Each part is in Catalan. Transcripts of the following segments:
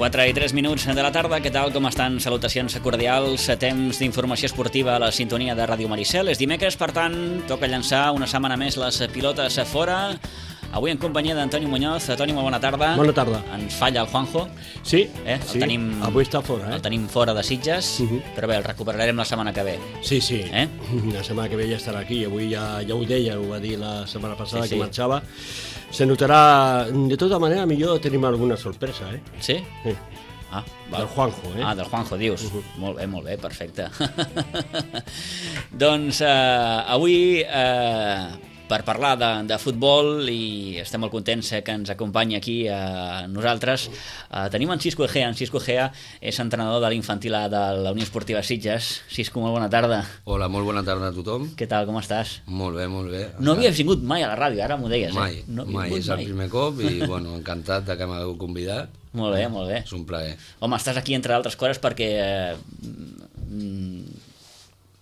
4 i 3 minuts de la tarda, què tal, com estan? Salutacions cordials, temps d'informació esportiva a la sintonia de Ràdio Maricel. És dimecres, per tant, toca llançar una setmana més les pilotes a fora. Avui en companyia d'Antoni Muñoz. Toni, molt bona tarda. Bona tarda. Ens falla el Juanjo. Sí, sí. Avui està fora. El tenim fora de Sitges, però bé, el recuperarem la setmana que ve. Sí. La setmana que ve ja estarà aquí. Avui ja ho deia, ho va dir la setmana passada que marxava. Se notarà, de tota manera, millor tenim alguna sorpresa, Sí? Sí. Ah, del Juanjo, del Juanjo, dius. Molt bé, perfecte. Doncs avui, per parlar de futbol, i estem molt contents que ens acompanyi aquí a nosaltres, tenim en Xisco Egea. En Xisco Egea és entrenador de l'infantil A de la Unió Esportiva Sitges. Xisco, molt bona tarda. Hola, molt bona tarda a tothom. Què tal, com estàs? Molt bé, molt bé. No havies vingut mai a la ràdio, ara m'ho deies. Mai, és el primer cop i encantat que m'hagueu convidat. Molt bé, molt bé. És un plaer. Home, estàs aquí entre altres coses perquè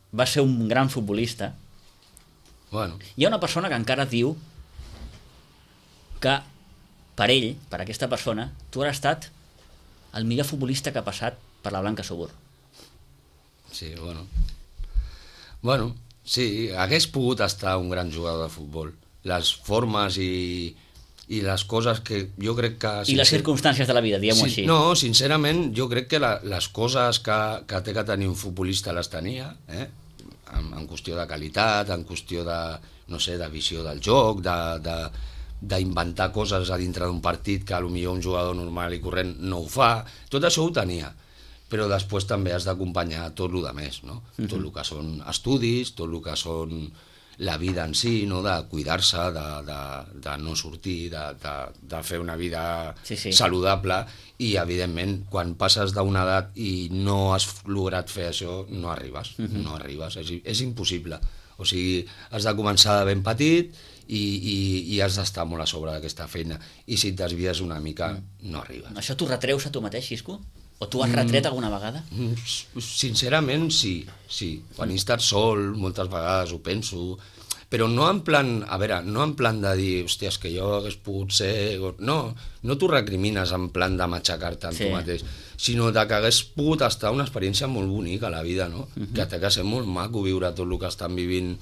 vas ser un gran futbolista. Bueno. Hi ha una persona que encara diu que per ell, per aquesta persona, tu has estat el millor futbolista que ha passat per la Blanca Subur. Sí, bueno, sí, hagués pogut estar un gran jugador de futbol. Les formes i les coses que jo crec que... I les circumstàncies de la vida, diguem-ho així. No, sincerament, jo crec que les coses que té que tenir un futbolista les tenia, en qüestió de qualitat, en qüestió de, no sé, de visió del joc, d'inventar coses a dintre d'un partit que potser un jugador normal i corrent no ho fa. Tot això ho tenia, però després també has d'acompanyar tot el que més, no? Tot el que són estudis, tot el que són la vida en si, no? De cuidar-se, de no sortir, de fer una vida saludable, i evidentment quan passes d'una edat i no has lograt fer això no arribes, és impossible. O sigui, has de començar de ben petit i has d'estar molt a sobre d'aquesta feina, i si et desvies una mica no arribes. Això t'ho retreus a tu mateix, Xisco? O tu has retret alguna vegada? Sincerament sí. Quan he estat sol moltes vegades ho penso, però no en plan, no en plan de dir, hòstia, és que jo hagués pogut ser... No t'ho recrimines en plan de matxacar-te en tu mateix, sinó que hagués pogut estar una experiència molt bonica a la vida, no? Que té que ser molt maco viure tot el que estan vivint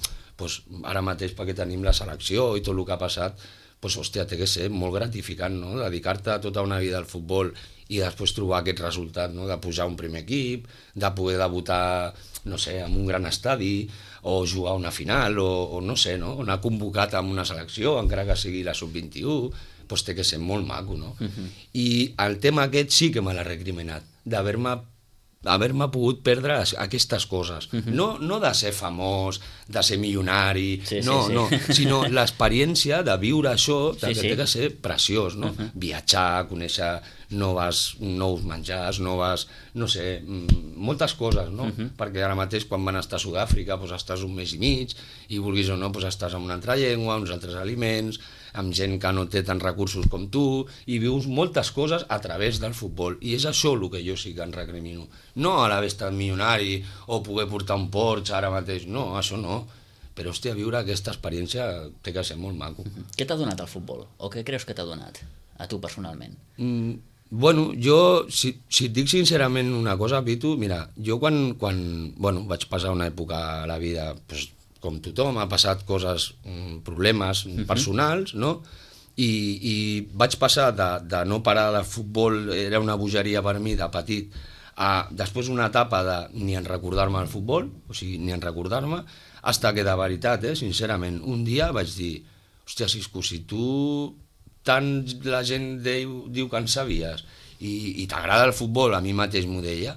ara mateix, perquè tenim la selecció i tot el que ha passat, hòstia, té que ser molt gratificant, no? Dedicar-te tota una vida al futbol i després trobar aquest resultat, no? De pujar a un primer equip, de poder debutar, no sé, en un gran estadi, o jugar una final, o no sé, no? Anar convocat en una selecció, encara que sigui la sub-21, doncs té que ser molt maco, no? I el tema aquest sí que me l'ha recriminat, d'haver-me pogut perdre aquestes coses. No de ser famós, de ser milionari, sinó l'experiència de viure això, que té que ser preciós, no? Viatjar, conèixer nous menjars, no sé, moltes coses, no? Perquè ara mateix quan van estar a Sud-àfrica estàs un mes i mig, i vulguis o no estàs en una altra llengua, uns altres aliments, amb gent que no té tants recursos com tu, i vius moltes coses a través del futbol, i és això el que jo sí que en recrimino. No a l'haver estat milionari o poder portar un Porsche ara mateix, no, això no, però hòstia, viure aquesta experiència té que ser molt maco. Què t'ha donat el futbol? O què creus que t'ha donat a tu personalment? Bueno, jo, si et dic sincerament una cosa, Pitu, mira, jo quan vaig passar una època a la vida, com tothom, ha passat coses, problemes personals, no? I vaig passar de no parar de futbol, era una bogeria per mi de petit, a després una etapa de ni en recordar-me el futbol, o sigui, ni en recordar-me, fins que de veritat, sincerament, un dia vaig dir, hòstia, Xisco, si tu tant la gent diu que en sabies i t'agrada el futbol, a mi mateix m'ho deia,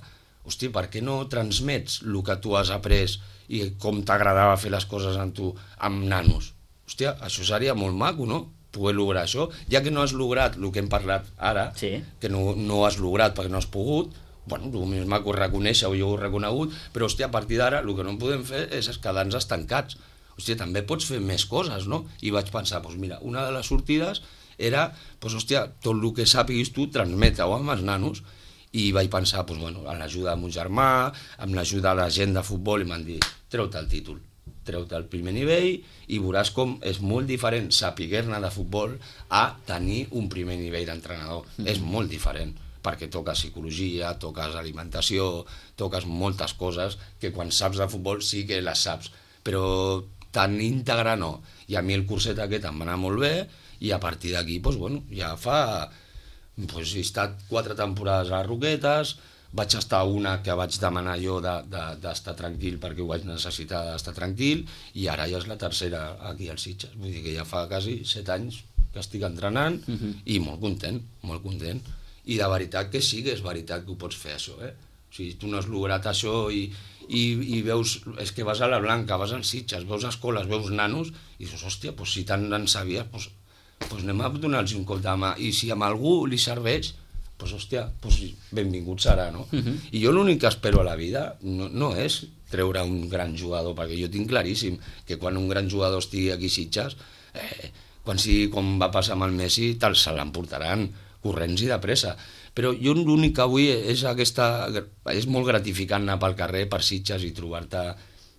hòstia, per què no transmets el que tu has après i com t'agradava fer les coses amb tu, amb nanos? Hòstia, això seria molt maco, no? Poder lograr això, ja que no has lograt el que hem parlat ara, que no has lograt perquè no has pogut, bueno, el més maco és reconèixer-ho, jo ho he reconegut, però hòstia, a partir d'ara el que no podem fer és quedar-nos estancats. Hòstia, també pots fer més coses, no? I vaig pensar, doncs mira, una de les sortides era, doncs hòstia, tot el que sàpiguis tu, transmeta-ho amb els nanos. I vaig pensar, doncs bueno, amb l'ajuda de mon germà, amb l'ajuda de la gent de futbol, i m'han dit, treu-te el títol, treu-te el primer nivell i veuràs com és molt diferent sapiguer-ne de futbol a tenir un primer nivell d'entrenador. És molt diferent. perquè toques psicologia, toques alimentació, toques moltes coses que quan saps de futbol sí que les saps, però tan íntegre no. I a mi el curset aquest em va anar molt bé i a partir d'aquí, doncs, bueno, ja fa... Doncs, he estat 4 temporades a les Roquetes, vaig estar una que vaig demanar jo d'estar tranquil perquè ho vaig necessitar d'estar tranquil i ara ja és la tercera aquí als Sitges. Vull dir que ja fa quasi 7 anys que estic entrenant i molt content, molt content. I de veritat que sí que és veritat que ho pots fer, això, eh? O sigui, tu no has lograt això i veus... És que vas a la Blanca, vas als Sitges, veus escoles, veus nanos i dius, hòstia, doncs si tant en sabies, doncs anem a donar-los un cop de mà. I si a algú li serveix, doncs hòstia, benvingut serà, no? I jo l'únic que espero a la vida no és treure un gran jugador, perquè jo tinc claríssim que quan un gran jugador estigui aquí a Sitges, com va passar amb el Messi, se l'emportaran corrents i de pressa. Però jo l'únic que avui és és molt gratificant anar pel carrer per Sitges i trobar-te,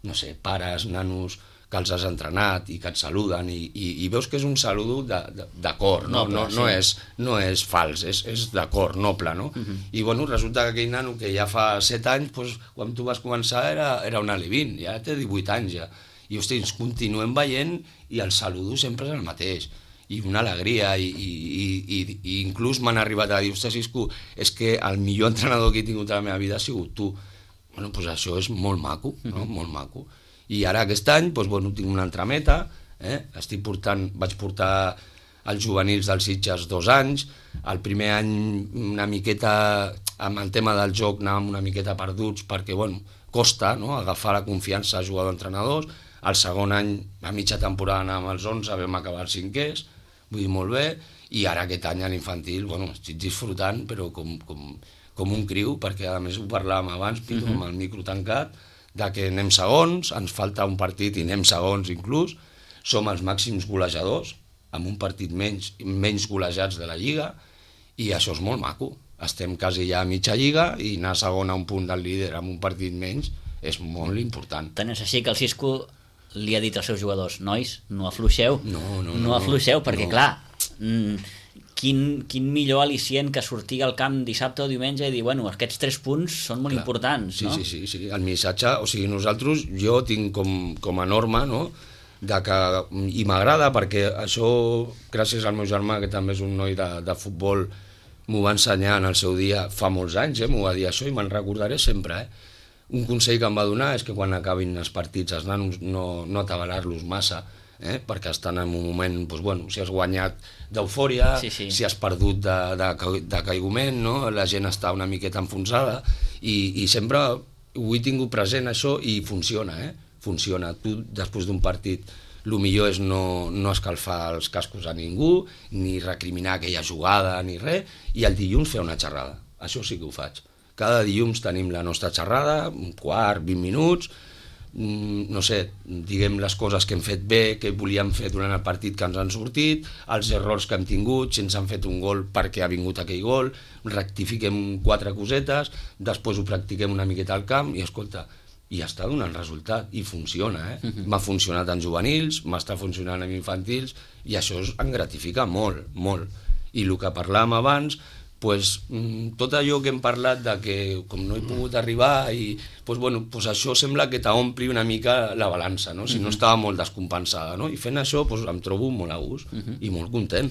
no sé, pares, nanos que els has entrenat i que et saluden i veus que és un saludo de cor, no és fals, és de cor, noble, no? I bueno, resulta que aquell nano que ja fa 7 anys, quan tu vas començar era un alevín, ja té 18 anys ja. I hosti, ens continuem veient i el saludo sempre és el mateix. I una alegria, i inclús m'han arribat a dir, ostres, Isco, és que el millor entrenador que he tingut a la meva vida ha sigut tu. Bueno, doncs això és molt maco, no? Molt maco. I ara aquest any, doncs, bueno, tinc una altra meta, vaig portar els juvenils dels Sitges 2 anys, el primer any una miqueta, amb el tema del joc anàvem una miqueta perduts perquè, bueno, costa, no?, agafar la confiança a jugador-entrenadors, el segon any, a mitja temporada anàvem als 11, vam acabar els 5è, vull dir, molt bé, i ara aquest any a l'infantil, bueno, estic disfrutant, però com un criu, perquè a més ho parlàvem abans, Pitu, amb el micro tancat, de que anem segons, ens falta un partit i anem segons inclús, som els màxims golejadors, amb un partit menys golejats de la Lliga, i això és molt maco. Estem quasi ja a mitja Lliga i anar segon a un punt del líder amb un partit menys és molt important. Tant és així que el Cisco li ha dit als seus jugadors, nois, no afluixeu, no afluixeu, perquè clar, quin millor al·licient que sortir al camp dissabte o diumenge i dir, bueno, aquests 3 punts són molt importants, no? Sí, el missatge, o sigui, nosaltres, jo tinc com a norma, no?, i m'agrada perquè això, gràcies al meu germà, que també és un noi de futbol, m'ho va ensenyar en el seu dia fa molts anys, m'ho va dir això i me'n recordaré sempre, Un consell que em va donar és que quan acabin els partits els nanos no atabalar-los massa, perquè estan en un moment, doncs, bueno, si has guanyat d'eufòria, si has perdut de caigument, no? La gent està una miqueta enfonsada i sempre ho he tingut present això i funciona, funciona. Tu després d'un partit el millor és no escalfar els cascos a ningú, ni recriminar aquella jugada ni res, i el dilluns fer una xerrada, això sí que ho faig. Cada dilluns tenim la nostra xerrada, un quart, 20 minuts, no sé, diguem les coses que hem fet bé, que volíem fer durant el partit que ens han sortit, els errors que hem tingut, si ens han fet un gol perquè ha vingut aquell gol, rectifiquem 4 cosetes, després ho practiquem una miqueta al camp i escolta, i està donant resultat, i funciona, M'ha funcionat en juvenils, m'està funcionant en infantils, i això em gratifica molt, molt. I el que parlàvem abans, tot allò que hem parlat de que com no he pogut arribar això sembla que t'ompli una mica la balança, no? Si no estava molt descompensada, no? I fent això em trobo molt a gust i molt content.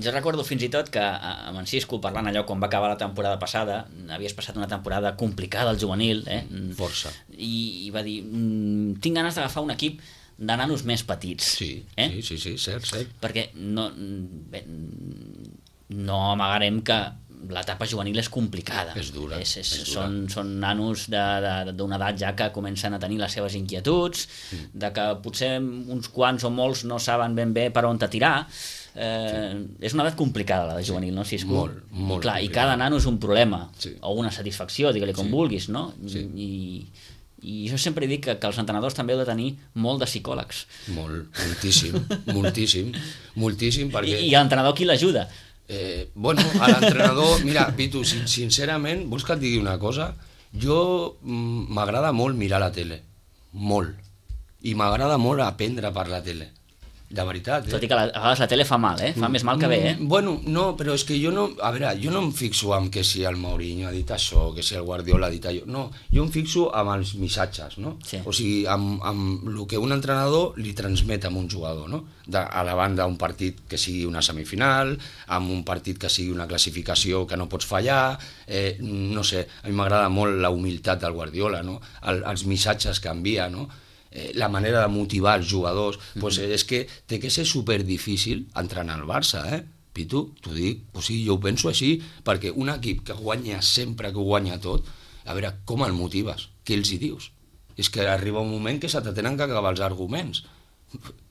Jo recordo fins i tot que amb en Cisco, parlant allò quan va acabar la temporada passada, havies passat una temporada complicada al juvenil, Força. I va dir, tinc ganes d'agafar un equip de nanos més petits. Sí, cert. Perquè no amagarem que l'etapa juvenil és complicada. És dura. Són nanos d'una edat ja que comencen a tenir les seves inquietuds, de que potser uns quants o molts no saben ben bé per on tirar. És una edat complicada, la de juvenil, no, Cisco? Molt clar, i cada nano és un problema, o una satisfacció, digue-li com vulguis, no? I jo sempre dic que els entrenadors també heu de tenir molt de psicòlegs. Moltíssim, perquè... I l'entrenador qui l'ajuda? A l'entrenador, mira, Pitu, sincerament, vols que et digui una cosa? Jo m'agrada molt mirar la tele, molt, i m'agrada molt aprendre per la tele. de veritat. Tot i que a vegades la tele fa mal, fa més mal que bé. Bueno, no, però és que jo no... A veure, jo no em fixo en que si el Mourinho ha dit això, que si el Guardiola ha dit allò. No, jo em fixo amb els missatges, no? Sí. O sigui, amb el que un entrenador li transmet a un jugador, no? A la banda un partit que sigui una semifinal, amb un partit que sigui una classificació que no pots fallar, no sé, a mi m'agrada molt la humilitat del Guardiola, no? Els missatges que envia, no? La manera de motivar els jugadors, pues és que té que ser superdifícil entrenar al Barça, Pitu, t'ho dic, o sigui, jo ho penso així, perquè un equip que guanya sempre, que ho guanya tot, a veure, com el motives? Què els hi dius? És que arriba un moment que se te tenen que acabar els arguments.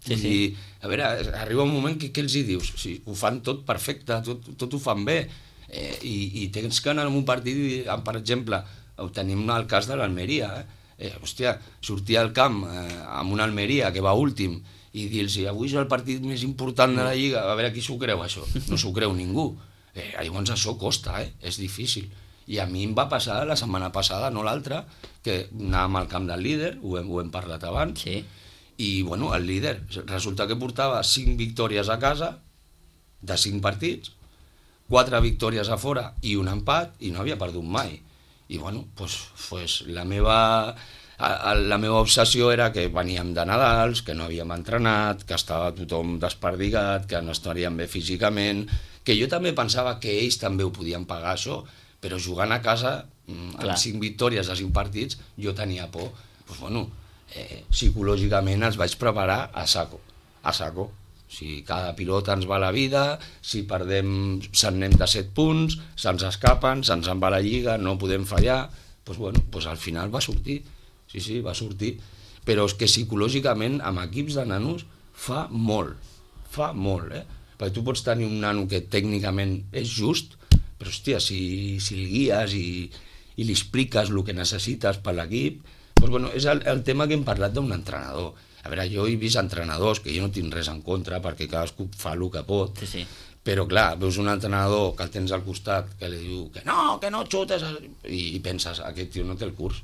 Sí. A veure, arriba un moment que què els hi dius? O sigui, ho fan tot perfecte, tot ho fan bé, i tens que anar a un partit i, per exemple, tenim el cas de l'Almeria, hòstia, sortir al camp amb una Almeria que va últim i dir-los avui és el partit més important de la Lliga, a veure qui s'ho creu això, no s'ho creu ningú. Llavors això costa, és difícil. I a mi em va passar la setmana passada, no l'altra, que anàvem al camp del líder, ho hem parlat abans, Sí. i bueno, el líder resulta que portava 5 victòries a casa de 5 partits, 4 victòries a fora i un empat, i no havia perdut mai. I bueno, pues la meva obsessió era que veníem de Nadals, que no havíem entrenat, que estava tothom desperdigat, que no estaríem bé físicament, que jo també pensava que ells també ho podien pagar això, però jugant a casa, amb 5 victòries a 5 partits, jo tenia por. Pues bueno, psicològicament els vaig preparar a saco. Si cada pilota ens va la vida, si perdem se'n anem de 7 punts, se'ns escapen, se'ns en va la Lliga, no podem fallar, doncs bueno, al final va sortir, sí, va sortir, però és que psicològicament amb equips de nanos fa molt, perquè tu pots tenir un nano que tècnicament és just, però hòstia, si el guies i li expliques el que necessites per l'equip, doncs bueno, és el tema que hem parlat d'un entrenador. A veure, jo he vist entrenadors, que jo no tinc res en contra, perquè cadascú fa el que pot, Sí. però clar, veus un entrenador que el tens al costat, que li diu que no xutes, i penses, aquest tio no té el curs.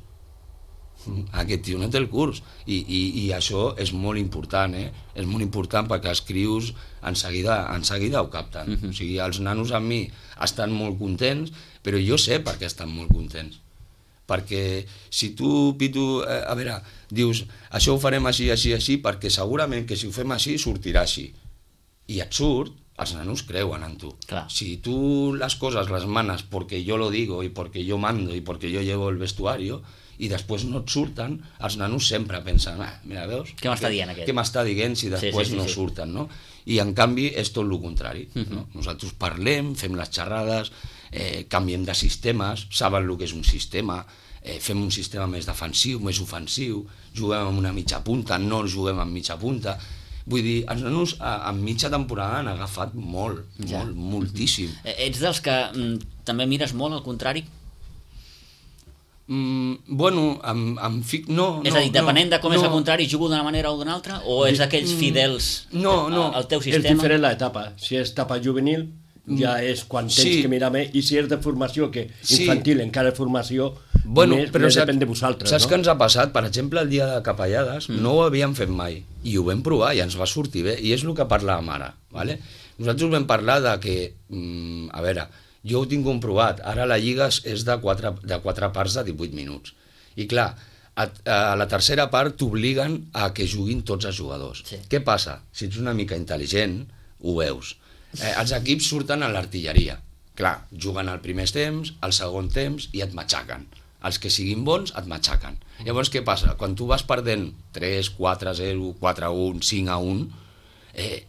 I això és molt important, És molt important perquè els crios en seguida ho capten. O sigui, els nanos amb mi estan molt contents, però jo sé per què estan molt contents. Perquè si tu, Pitu, a veure, dius això ho farem així, perquè segurament que si ho fem així sortirà així, i et surt, els nanos creuen en tu. Clar. Si tu les coses les manes porque yo lo digo y porque yo mando y porque yo llevo el vestuario i després no et surten, els nanos sempre pensen, mira, veus? Què m'està dient aquest? Què m'està dient si després no surten, no? I en canvi és tot el contrari. No? Nosaltres parlem, fem les xerrades, canviem de sistemes, saben el que és un sistema, fem un sistema més defensiu, més ofensiu, juguem amb una mitja punta, no juguem amb mitja punta. Vull dir, els nanos en mitja temporada han agafat moltíssim. Ets dels que també mires molt al contrari? Bueno, no. És a dir, depenent de com és el contrari, jugo d'una manera o d'una altra? O ets d'aquells fidels al teu sistema? És diferent l'etapa. Si és etapa juvenil, ja és quan tens que mirar més, i si és de formació, que infantil encara és formació, més depèn de vosaltres. Saps què ens ha passat? Per exemple, el dia de Capellades no ho havíem fet mai, i ho vam provar i ens va sortir bé, i és el que parlàvem ara. Nosaltres vam parlar de que, a veure, jo ho tinc comprovat, ara la Lliga és de 4 parts de 18 minuts, i clar, a la tercera part t'obliguen a que juguin tots els jugadors. Què passa? Si ets una mica intel·ligent, ho veus. Els equips surten a l'artilleria. Clar, juguen al primer temps, al segon temps i et matxaquen. Els que siguin bons et matxaquen. Llavors què passa? Quan tu vas perdent 3, 4-0, 4-1, 5-1,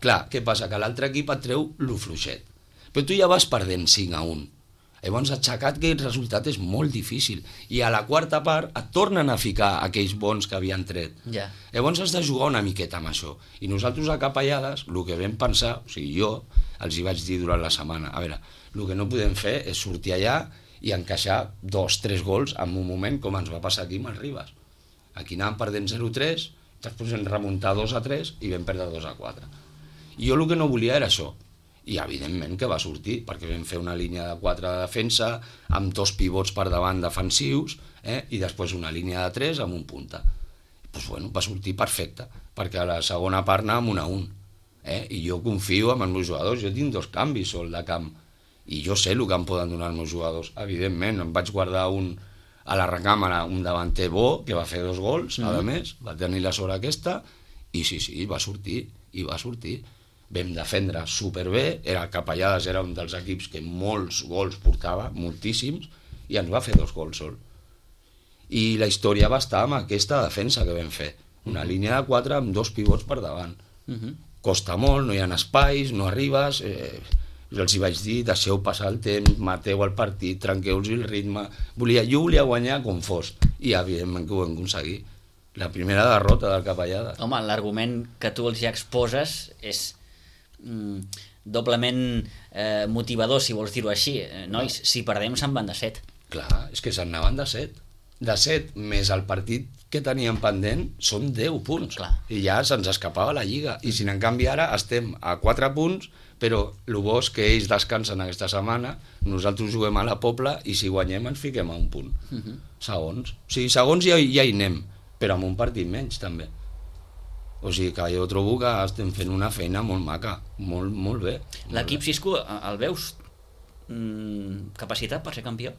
clar, què passa? Que l'altre equip et treu lo fluixet. Però tu ja vas perdent 5-1. Llavors aixecat aquell resultat és molt difícil. I a la quarta part et tornen a ficar aquells bons que havien tret. Llavors has de jugar una miqueta amb això. I nosaltres a Capellades, el que vam pensar, o sigui, jo els hi vaig dir durant la setmana, a veure, el que no podem fer és sortir allà i encaixar 2-3 gols en un moment com ens va passar aquí amb el Ribas. Aquí anàvem perdent 0-3, després vam remuntar 2-3 i vam perdre 2-4. I jo el que no volia era això. I evidentment que va sortir, perquè vam fer una línia de 4 de defensa amb 2 pivots per davant defensius i després una línia de 3 amb un punta. Doncs bueno, va sortir perfecte, perquè a la segona part anàvem 1-1. I jo confio en els meus jugadors, jo tinc 2 canvis sol de camp, i jo sé el que em poden donar els meus jugadors. Evidentment, em vaig guardar a la recàmera un davanter bo, que va fer 2 gols, a més, va tenir la sort aquesta, i sí, va sortir, Vam defendre superbé, el Capellades era un dels equips que molts gols portava, moltíssims, i ens va fer 2 gols sol. I la història va estar amb aquesta defensa que vam fer, una línia de 4 amb 2 pivots per davant. Costa molt, no hi ha espais, no arribes, els hi vaig dir, deixeu passar el temps, mateu el partit, trenqueu-los el ritme, jo volia guanyar com fos, i evidentment que ho vam aconseguir. La primera derrota del Capellades. Home, l'argument que tu els ja exposes és doblement motivador, si vols dir-ho així. Nois, si perdem se'n van de 7. Clar, és que se'n anaven de 7. De 7 més el partit que teníem pendent són 10 punts. Clar. I ja se'ns escapava la Lliga. I si en canvi ara estem a 4 punts, però el bo és que ells descansen aquesta setmana, nosaltres juguem a la Pobla i si guanyem ens fiquem a un punt. Segons. O sigui, segons ja hi anem, però amb un partit menys també. O sigui que jo trobo que estem fent una feina molt maca, molt bé. L'equip Xisco, el veus capacitat per ser campió?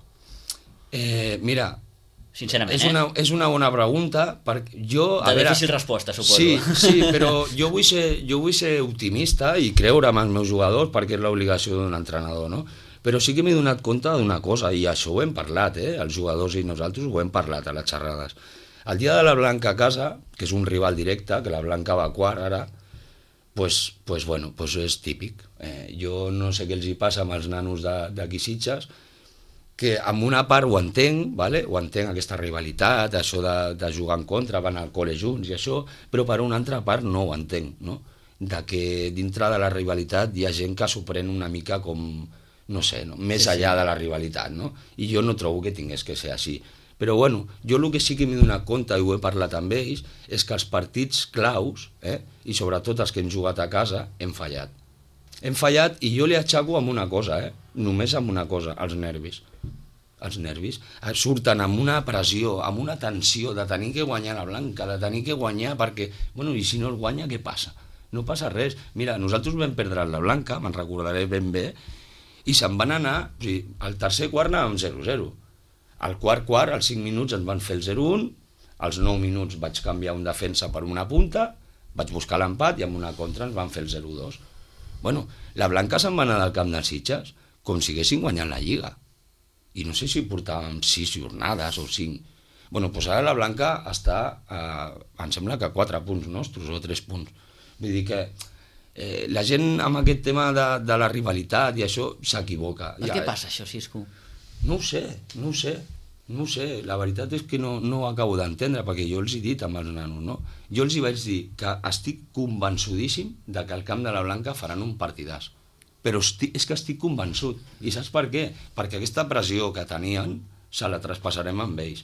Mira, sincerament, és una bona pregunta, perquè jo... Difícil resposta, suposo. Sí, però jo vull ser optimista i creure en els meus jugadors perquè és l'obligació d'un entrenador, no? Però sí que m'he donat compte d'una cosa, i això ho hem parlat, els jugadors i nosaltres ho hem parlat a les xerrades. El dia de la Blanca a casa, que és un rival directe, que la Blanca va a quart ara, pues és típic. Jo no sé què els hi passa amb els nanos d'aquí Sitges, que amb una part ho entenc, ¿vale? Ho entenc aquesta rivalitat, això de jugar en contra, van al col·le junts i això, però per una altra part no ho entenc, no? De que dintre de la rivalitat hi ha gent que s'ho pren una mica com, no sé, no? Més enllà de la rivalitat, no? I jo no trobo que tingués que ser així. Però bueno, jo el que sí que m'he donat compte, i ho he parlat amb ells, és que els partits claus, i sobretot els que hem jugat a casa, hem fallat. Hem fallat i jo li aixaco amb una cosa, només amb una cosa, els nervis. Els nervis surten amb una pressió, amb una tensió de tenir que guanyar la Blanca, de tenir que guanyar perquè, bueno, i si no el guanya, què passa? No passa res. Mira, nosaltres vam perdre la Blanca, me'n recordaré ben bé, i se'n van anar, o sigui, al tercer quart anàvem 0-0. Al quart, als 5 minuts ens van fer el 0-1, als 9 minuts vaig canviar un defensa per una punta, vaig buscar l'empat i amb una contra ens van fer el 0-2. Bueno, la Blanca se'n va anar del camp dels Sitges com si haguessin guanyat la Lliga. I no sé si portàvem 6 jornades o 5. Bueno, doncs ara la Blanca està, em sembla que 4 punts nostres o 3 punts. Vull dir que la gent amb aquest tema de la rivalitat i això s'equivoca. Per què passa això, Xisco? No ho sé, la veritat és que no ho acabo d'entendre, perquè jo els he dit amb els nanos, no? Jo els hi vaig dir que estic convençudíssim de que al camp de la Blanca faran un partidàs, però és que estic convençut, i saps per què? Perquè aquesta pressió que tenien se la traspassarem amb ells,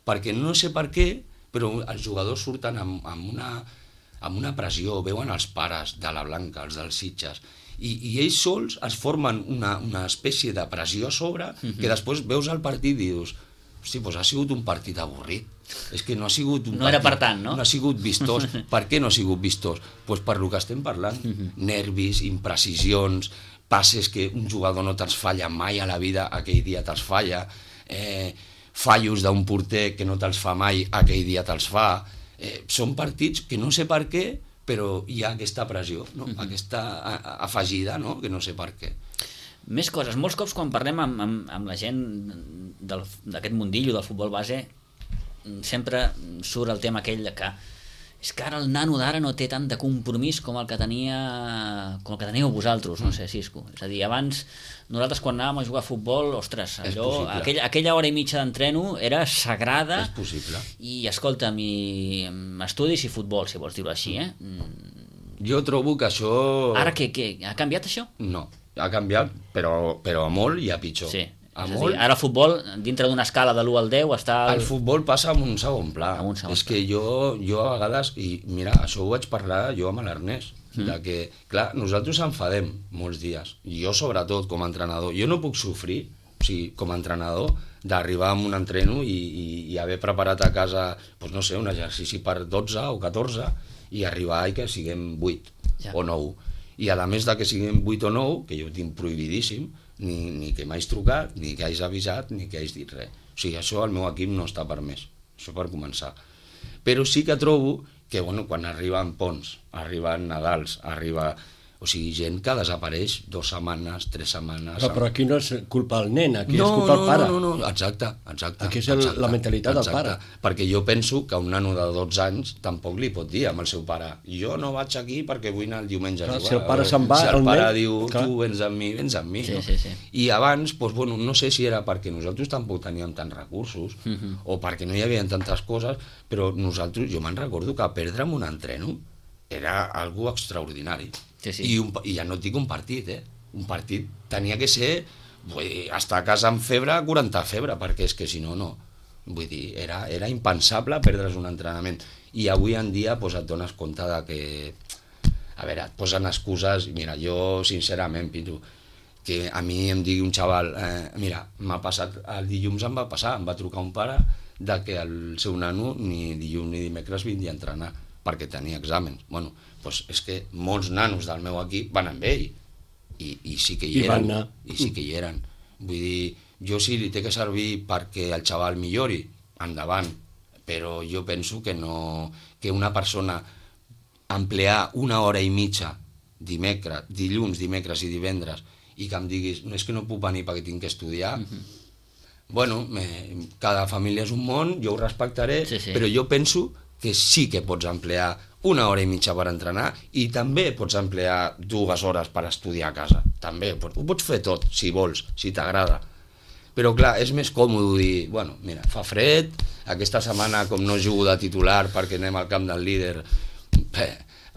perquè no sé per què, però els jugadors surten amb una pressió, veuen els pares de la Blanca, els dels Sitges, i ells sols es formen una espècie de pressió a sobre que després veus el partit i dius, hosti, doncs ha sigut un partit avorrit, és que no ha sigut un partit... No era per tant, no? No ha sigut vistós. Per què no ha sigut vistós? Doncs per lo que estem parlant. Nervis, imprecisions, passes que un jugador no te'ls falla mai a la vida, aquell dia te'ls falla, fallos d'un porter que no te'ls fa mai, aquell dia te'ls fa. Són partits que no sé per què, però hi ha aquesta pressió, no? Aquesta afegida, no? Que no sé per què. Més coses. Molts cops quan parlem amb la gent d'aquest mundillo del futbol base sempre surt el tema aquell de que és que ara el nano d'ara no té tant de compromís com el que teníeu vosaltres, no sé, Xisco. És a dir, abans nosaltres quan anàvem a jugar a futbol, ostres, allò, aquella hora i mitja d'entreno era sagrada. És possible. I escolta'm, estudis i futbol, si vols dir-ho així, Jo trobo que això... Ara què? Ha canviat això? No, ha canviat, però a molt i a pitjor. Sí. Dir, ara el futbol, dintre d'una escala de l'1 al 10, està... El futbol passa en un segon pla. És que jo a vegades, i mira, això ho vaig parlar jo amb l'Ernest, de que, clar, nosaltres enfadem molts dies, jo sobretot com a entrenador, jo no puc sofrir, o sigui, com a entrenador, d'arribar amb un entreno i haver preparat a casa, doncs no sé, un exercici per 12 o 14 i arribar i que siguem 8. o 9. I a més de que siguin 8 o 9, que jo tinc prohibidíssim, ni que m'hais trucat, ni que hagis avisat, ni que hagis dit res. O sigui, això al meu equip no està permès. Això per començar. Però sí que trobo que quan arriben ponts, arriben Nadals, o sigui, gent que desapareix 2 setmanes, 3 setmanes... Però aquí no és culpa del nen, aquí és culpa del pare. No, exacte. Aquí és la mentalitat del pare. Perquè jo penso que un nano de 12 anys tampoc li pot dir amb el seu pare jo no vaig aquí perquè vull anar el diumenge a jugar. Si el pare se'n va, si el pare diu tu vens amb mi, Sí. I abans, no sé si era perquè nosaltres tampoc teníem tants recursos o perquè no hi havia tantes coses, però nosaltres, jo me'n recordo que perdre en un entreno era algo extraordinari. Sí. I ja no et dic un partit, un partit tenia que ser estar a casa amb febre, 40 febre, perquè és que si no, no. Vull dir, era impensable perdre's un entrenament. I avui en dia et dones compte de que... A veure, et posen excuses. Mira, jo sincerament, Pitu, que a mi em digui un xaval, mira, m'ha passat, el dilluns em va trucar un pare de que el seu nano ni dilluns ni dimecres vindria a entrenar perquè tenia exàmens. Bueno, doncs és que molts nanos del meu equip van amb ell i sí que hi eren. I sí que hi eren. Vull dir, jo si li té que servir perquè el xaval millori, endavant, però jo penso que no, que una persona emplear 1 hora i mitja dilluns, dimecres i divendres i que em diguis, no és que no puc venir perquè tinc que estudiar, bueno, cada família és un món, jo ho respectaré, però jo penso que sí que pots emplear 1 hora i mitja per entrenar i també pots emplear 2 hores per estudiar a casa. També, ho pots fer tot, si vols, si t'agrada. Però clar, és més còmode dir, bueno, mira, fa fred, aquesta setmana com no jugo de titular perquè anem al camp del líder,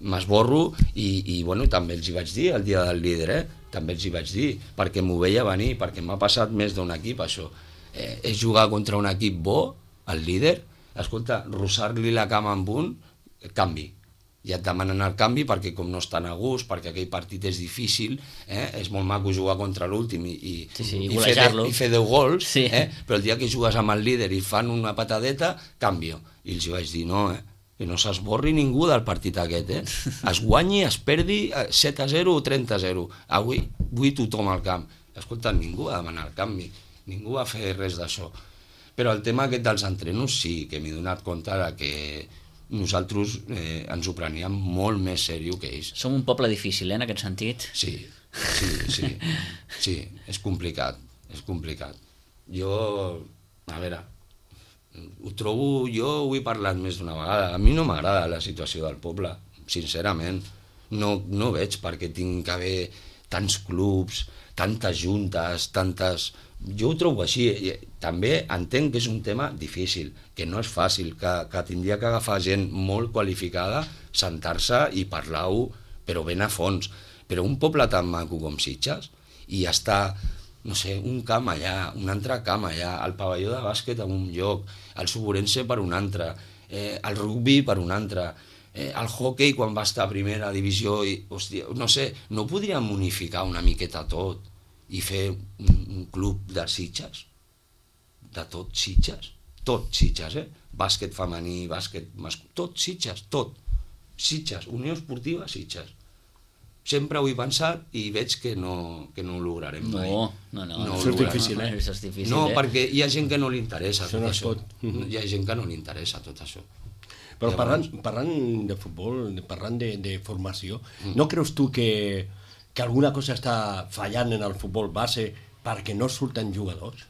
m'esborro i bueno, també els hi vaig dir el dia del líder, també els hi vaig dir, perquè m'ho veia venir, perquè m'ha passat més d'un equip això. És jugar contra un equip bo, el líder, escolta, rossar-li la cama amb un, canvi. Ja et demanen el canvi perquè com no estan a gust, perquè aquell partit és difícil, és molt maco jugar contra l'últim i fer 10 gols, però el dia que jugues amb el líder i fan una patadeta, canvio. I els vaig dir, no, que no s'esborri ningú del partit aquest, es guanyi, es perdi 7-0 o 30-0. Avui vull tothom al camp. Escolta, ningú va demanar el canvi, ningú va fer res d'això. Però el tema aquest dels entrenos sí que m'he donat compte que nosaltres ens ho preníem molt més seriós que ells. Som un poble difícil, en aquest sentit. Sí, és complicat, Jo, a veure, ho trobo, jo ho he parlat més d'una vegada, a mi no m'agrada la situació del poble, sincerament, no veig perquè tinc que haver tants clubs, tantes juntes, Jo ho trobo així, també entenc que és un tema difícil, que no és fàcil, que tindria que agafar gent molt qualificada, sentar-se i parlar-ho, però ben a fons. Però un poble tan maco com Sitges, i està, no sé, un camp allà, un altre camp allà, el pavelló de bàsquet en un lloc, el Suburense per un altre, el rugby per un altre, el hockey quan va estar a primera divisió, hòstia, no sé, no podríem unificar una miqueta tot i fer un club de Sitges, de tot Sitges, bàsquet femení, bàsquet masculí, tot Sitges, Unió Esportiva Sitges. Sempre ho he pensat i veig que no ho lograrem mai. No. Això és difícil, Això és difícil, No, perquè hi ha gent que no li interessa tot això. Hi ha gent que no li interessa tot això. Però parlant de futbol, parlant de formació, no creus tu que alguna cosa està fallant en el futbol base perquè no surten jugadors?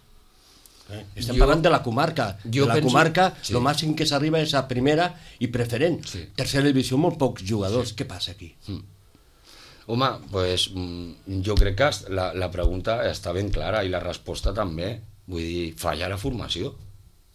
Estem parlant de la comarca. El màxim que s'arriba és a primera i preferent. Tercera divisió, molt pocs jugadors. Què passa aquí? Home, doncs jo crec que la pregunta està ben clara i la resposta també. Vull dir, falla la formació,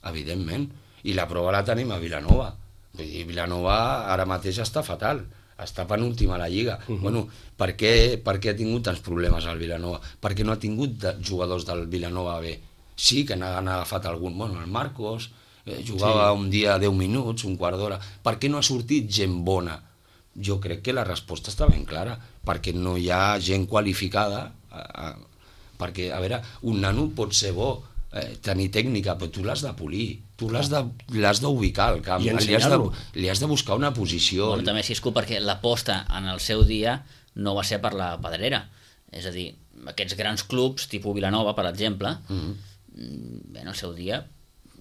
evidentment. I la prova la tenim a Vilanova. Vull dir, Vilanova ara mateix està fatal. Està penúltima a la Lliga. Bueno, per què ha tingut tants problemes al Vilanova? Perquè no ha tingut jugadors del Vilanova B. Sí que n'han agafat algun. Bueno, el Marcos jugava un dia 10 minuts, un quart d'hora. Per què no ha sortit gent bona? Jo crec que la resposta està ben clara. Perquè no hi ha gent qualificada. Perquè, a veure, un nano pot ser bo tenir tècnica, però tu l'has de polir, tu l'has d'ubicar al camp, I ensenyar-lo. li has de buscar una posició. Bueno, també Xisco, perquè l'aposta en el seu dia no va ser per la Pedrera. És a dir, aquests grans clubs, tipus Vilanova, per exemple, bé, en el seu dia,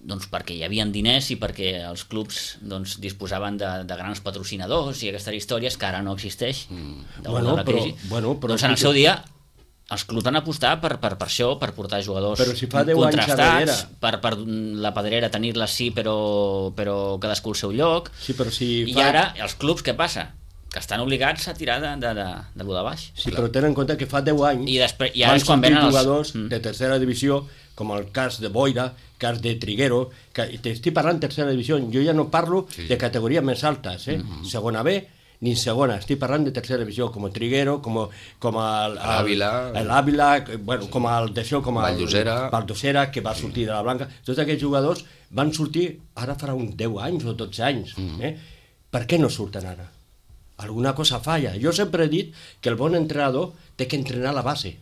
doncs perquè hi havia diners i perquè els clubs doncs, disposaven de grans patrocinadors i aquestes històries que ara no existeix Bueno, la crisi. però doncs en el seu dia els clubs van apostar per això, per portar jugadors Però si fa 10 anys contrastats, per la Pedrera tenir-la sí, però cadascú al seu lloc. Sí, però si I ara els clubs, què passa? Que estan obligats a tirar de lo de baix. Sí, però tenen en compte que fa 10 anys I ara és quan venen els jugadors de tercera divisió, com el cas de Boira, cas de Triguero, que t'estic parlant de tercera divisió, jo ja no parlo de categories més altes, segona B, ni segona, estic parlant de tercera divisió, com el Triguero, com l'Àvila, bueno, com el d'això, com el Valdosera, que va sortir de la Blanca. Tots aquests jugadors van sortir, ara farà uns 10 anys o 12 anys. Per què no surten ara? Alguna cosa falla. Jo sempre he dit que el bon entrenador té que entrenar a la base.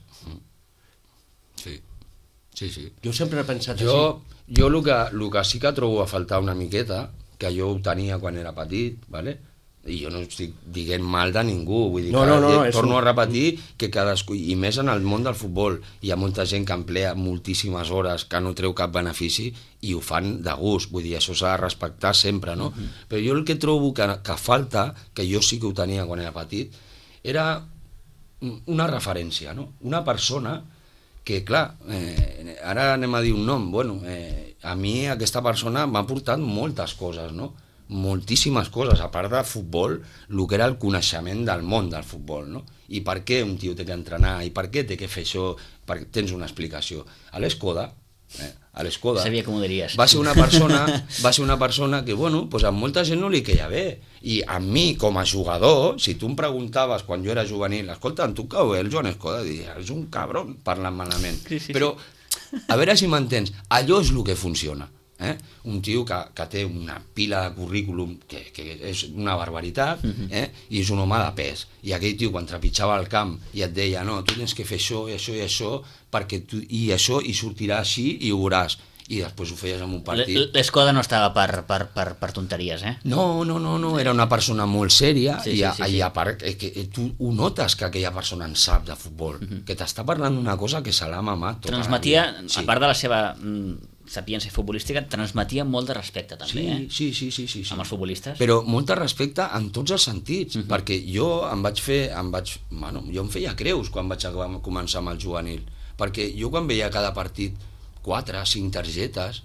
Sí. Jo sempre he pensat així. Jo el que sí que trobo a faltar una miqueta, que jo ho tenia quan era petit, ¿vale? I jo no estic dient mal de ningú, vull dir que torno a repetir que cadascú, i més en el món del futbol, hi ha molta gent que emplea moltíssimes hores, que no treu cap benefici i ho fan de gust, vull dir, això s'ha de respectar sempre, no? Però jo el que trobo que falta, que jo sí que ho tenia quan era petit, era una referència, no? Una persona que, clar, ara anem a dir un nom, bueno, a mi aquesta persona m'ha portat moltes coses, no? Moltíssimes coses, a part de futbol, el que era el coneixement del món del futbol, no? I per què un tio té que entrenar, i per què té que fer això, perquè tens una explicació. A l'Escoda, sabia que m'ho diries. Va ser una persona que, bueno, pues a molta gent no li queia bé, i a mi, com a jugador, si tu em preguntaves quan jo era juvenil, escolta, tu cau bé el Joan Escoda, diria, és un cabron, parlant malament. Però, a veure si m'entens, allò és el que funciona. Un tio que té una pila de currículum que és una barbaritat, i és un home de pes, i aquell tio quan trepitjava al camp i et deia no, tu tens que fer això i això i això perquè i això i sortirà així i ho veuràs, i després ho feies en un partit. L'Escoda no estava per tonteries, No, era una persona molt sèria, i a part que tu ho notes que aquella persona en sap de futbol, que t'està parlant d'una cosa que se l'ha mamat tota transmetia, a part de la seva sapiència futbolística, transmetia molt de respecte també, sí. amb els futbolistes. Però molt de respecte en tots els sentits, perquè jo jo em feia creus quan vaig començar amb el juvenil, perquè jo quan veia cada partit 4 o 5 targetes,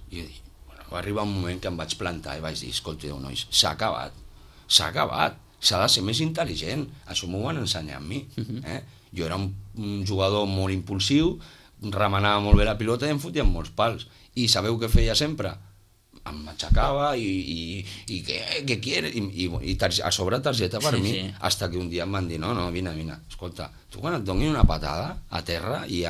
va arribar un moment que em vaig plantar i vaig dir, escolteu nois, s'ha acabat, s'ha de ser més intel·ligent, això m'ho van ensenyar a mi. Jo era un jugador molt impulsiu, remenava molt bé la pilota i em fotia molts pals. I sabeu què feia sempre? Em aixecava i què quieres? I a sobre targeta per mi, hasta que un dia em van dir, no, vine, escolta, tu quan et donin una patada a terra, i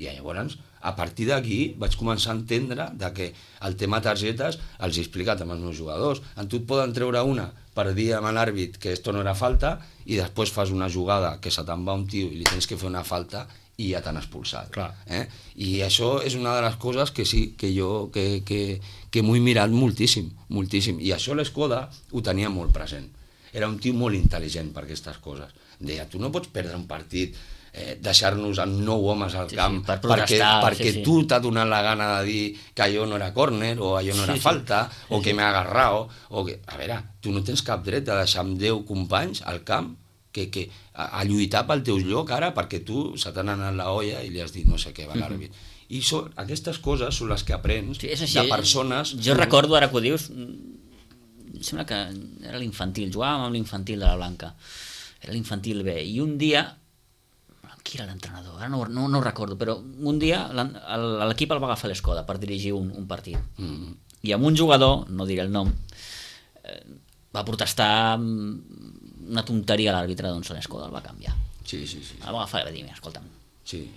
llavors, a partir d'aquí vaig començar a entendre que el tema targetes els he explicat amb els meus jugadors. En tu et poden treure una per dir amb l'àrbit que esto no era falta i després fas una jugada que se te'n va un tio i li tens que fer una falta i ja t'han expulsat. I això és una de les coses que sí, que jo que m'ho he mirat moltíssim, i això l'Escoda ho tenia molt present. Era un tio molt intel·ligent per aquestes coses. Deia, tu no pots perdre un partit, deixar-nos amb 9 homes al camp perquè tu t'ha donat la gana de dir que allò no era córner o allò no era falta o que m'ha agarrado. A veure, tu no tens cap dret de deixar amb 10 companys al camp a lluitar pel teu lloc ara perquè tu se t'ha anat la olla i li has dit no sé què va l'àrbit. I aquestes coses són les que aprens de persones... Jo recordo, ara que ho dius, sembla que era l'infantil, jugàvem amb l'infantil de la Blanca, era l'infantil B, i un dia, qui era l'entrenador? Ara no ho recordo, però un dia l'equip el va agafar l'Escoda per dirigir un partit, i amb un jugador, no diré el nom, va protestar una tonteria a l'àrbitre, doncs l'Escoda el va canviar. El va agafar i va dir, escolta'm,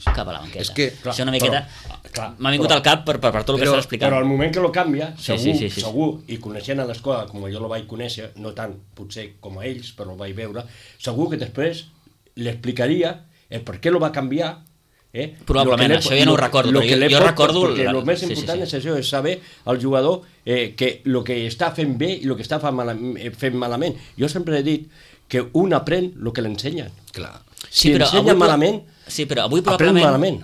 cap a la banqueta. Això una miqueta m'ha vingut al cap per tot el que estàs explicant. Però al moment que lo canvia, segur, i coneixent a l'Escoda com jo lo vaig conèixer, no tant potser com a ells, però ho vaig veure, segur que després li explicaria el per què lo va canviar, Probablement, això ja no ho recordo, però jo recordo... Perquè el més important és això, és saber el jugador que el que està fent bé i el que està fent malament. Jo sempre he dit que un aprèn el que l'ensenyen. Clar. Si ensenya malament, avui aprèn malament.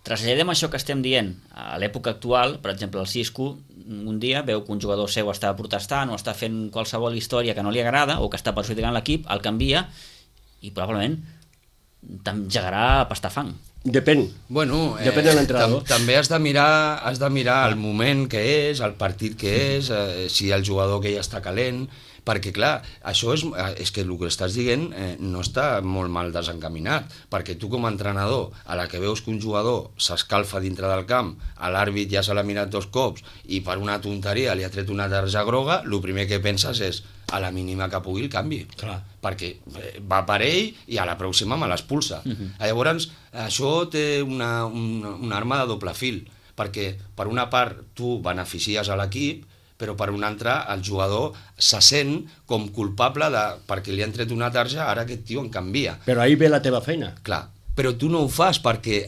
Traslladem això que estem dient a l'època actual. Per exemple, el Xisco un dia veu que un jugador seu està protestant o està fent qualsevol història que no li agrada o que està perjudicant l'equip, el canvia i probablement t'engegarà a pastar fang. Depèn. Bueno, depèn de l'entrenador. També has de mirar el moment que és, el partit que és, si el jugador que ja està calent, perquè clar, això és que el que estàs dient no està molt mal desencaminat, perquè tu com a entrenador, a la que veus que un jugador s'escalfa dintre del camp, a l'àrbit ja se l'ha mirat 2 cops i per una tonteria li ha tret una targeta groga, el primer que penses és a la mínima que pugui el canvi. Clar. Perquè va per ell i a la pròxima me l'expulsa. Llavors, això té una arma de doble fil, perquè per una part tu beneficies a l'equip, però per una altra el jugador se sent com culpable perquè li han tret una tarja, ara aquest tio en canvia. Però ahí ve la teva feina. Clar, però tu no ho fas perquè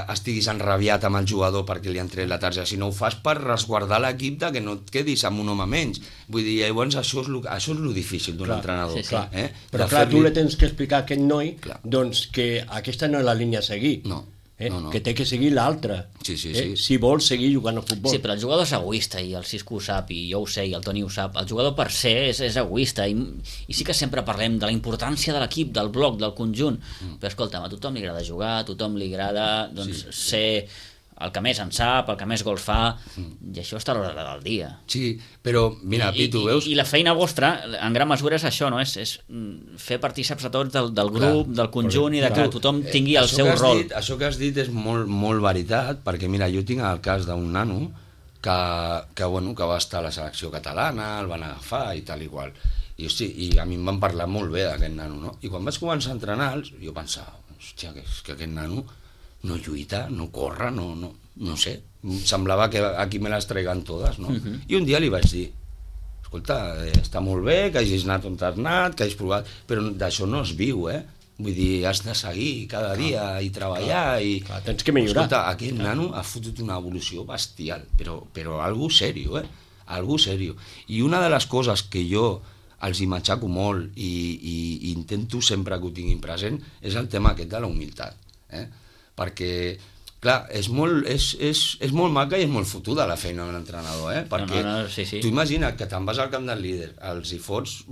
estiguis enrabiat amb el jugador perquè li han tret la tarja, sinó ho fas per resguardar l'equip que no et quedis amb un home menys. Vull dir, llavors això és lo difícil d'un entrenador. Sí. Però clar, tu li tens que explicar a aquest noi doncs, que aquesta no és la línia a seguir. No. Que té que seguir l'altra, si vol seguir jugant al futbol. Sí, però el jugador és egoista i el Xisco ho sap i jo ho sé i el Toni ho sap. El jugador per ser és egoista i sí que sempre parlem de la importància de l'equip, del bloc, del conjunt, però escolta'm, a tothom li agrada jugar, a tothom li agrada ser el que més en sap, el que més gols fa, i això està a l'hora del dia. Sí, però mira, Pitu, veus? I la feina vostra, en gran mesura, és això, no? És fer partíceps a tots del grup, del conjunt, i de que tothom tingui el seu rol. Això que has dit és molt veritat, perquè mira, jo tinc el cas d'un nano que va estar a la selecció catalana, el van agafar i tal i qual. I a mi em van parlar molt bé d'aquest nano, no? I quan vaig començar a entrenar-los, jo pensava, hòstia, que aquest nano no lluita, no corre, no sé. Semblava que aquí me les traiguen totes, no? I un dia li vaig dir, escolta, està molt bé que hagis anat on has anat, que hagis provat, però d'això no es viu, Vull dir, has de seguir cada dia i treballar i... Tens que millorar. Escolta, aquest nano ha fotut una evolució bestial, però algo serio, Algo serio. I una de les coses que jo els hi matxaco molt i intento sempre que ho tinguin present és el tema aquest de la humilitat, perquè, clar, és molt maca i és molt fotuda la feina d'un entrenador, perquè tu imagina't que te'n vas al camp del líder, els hi fots,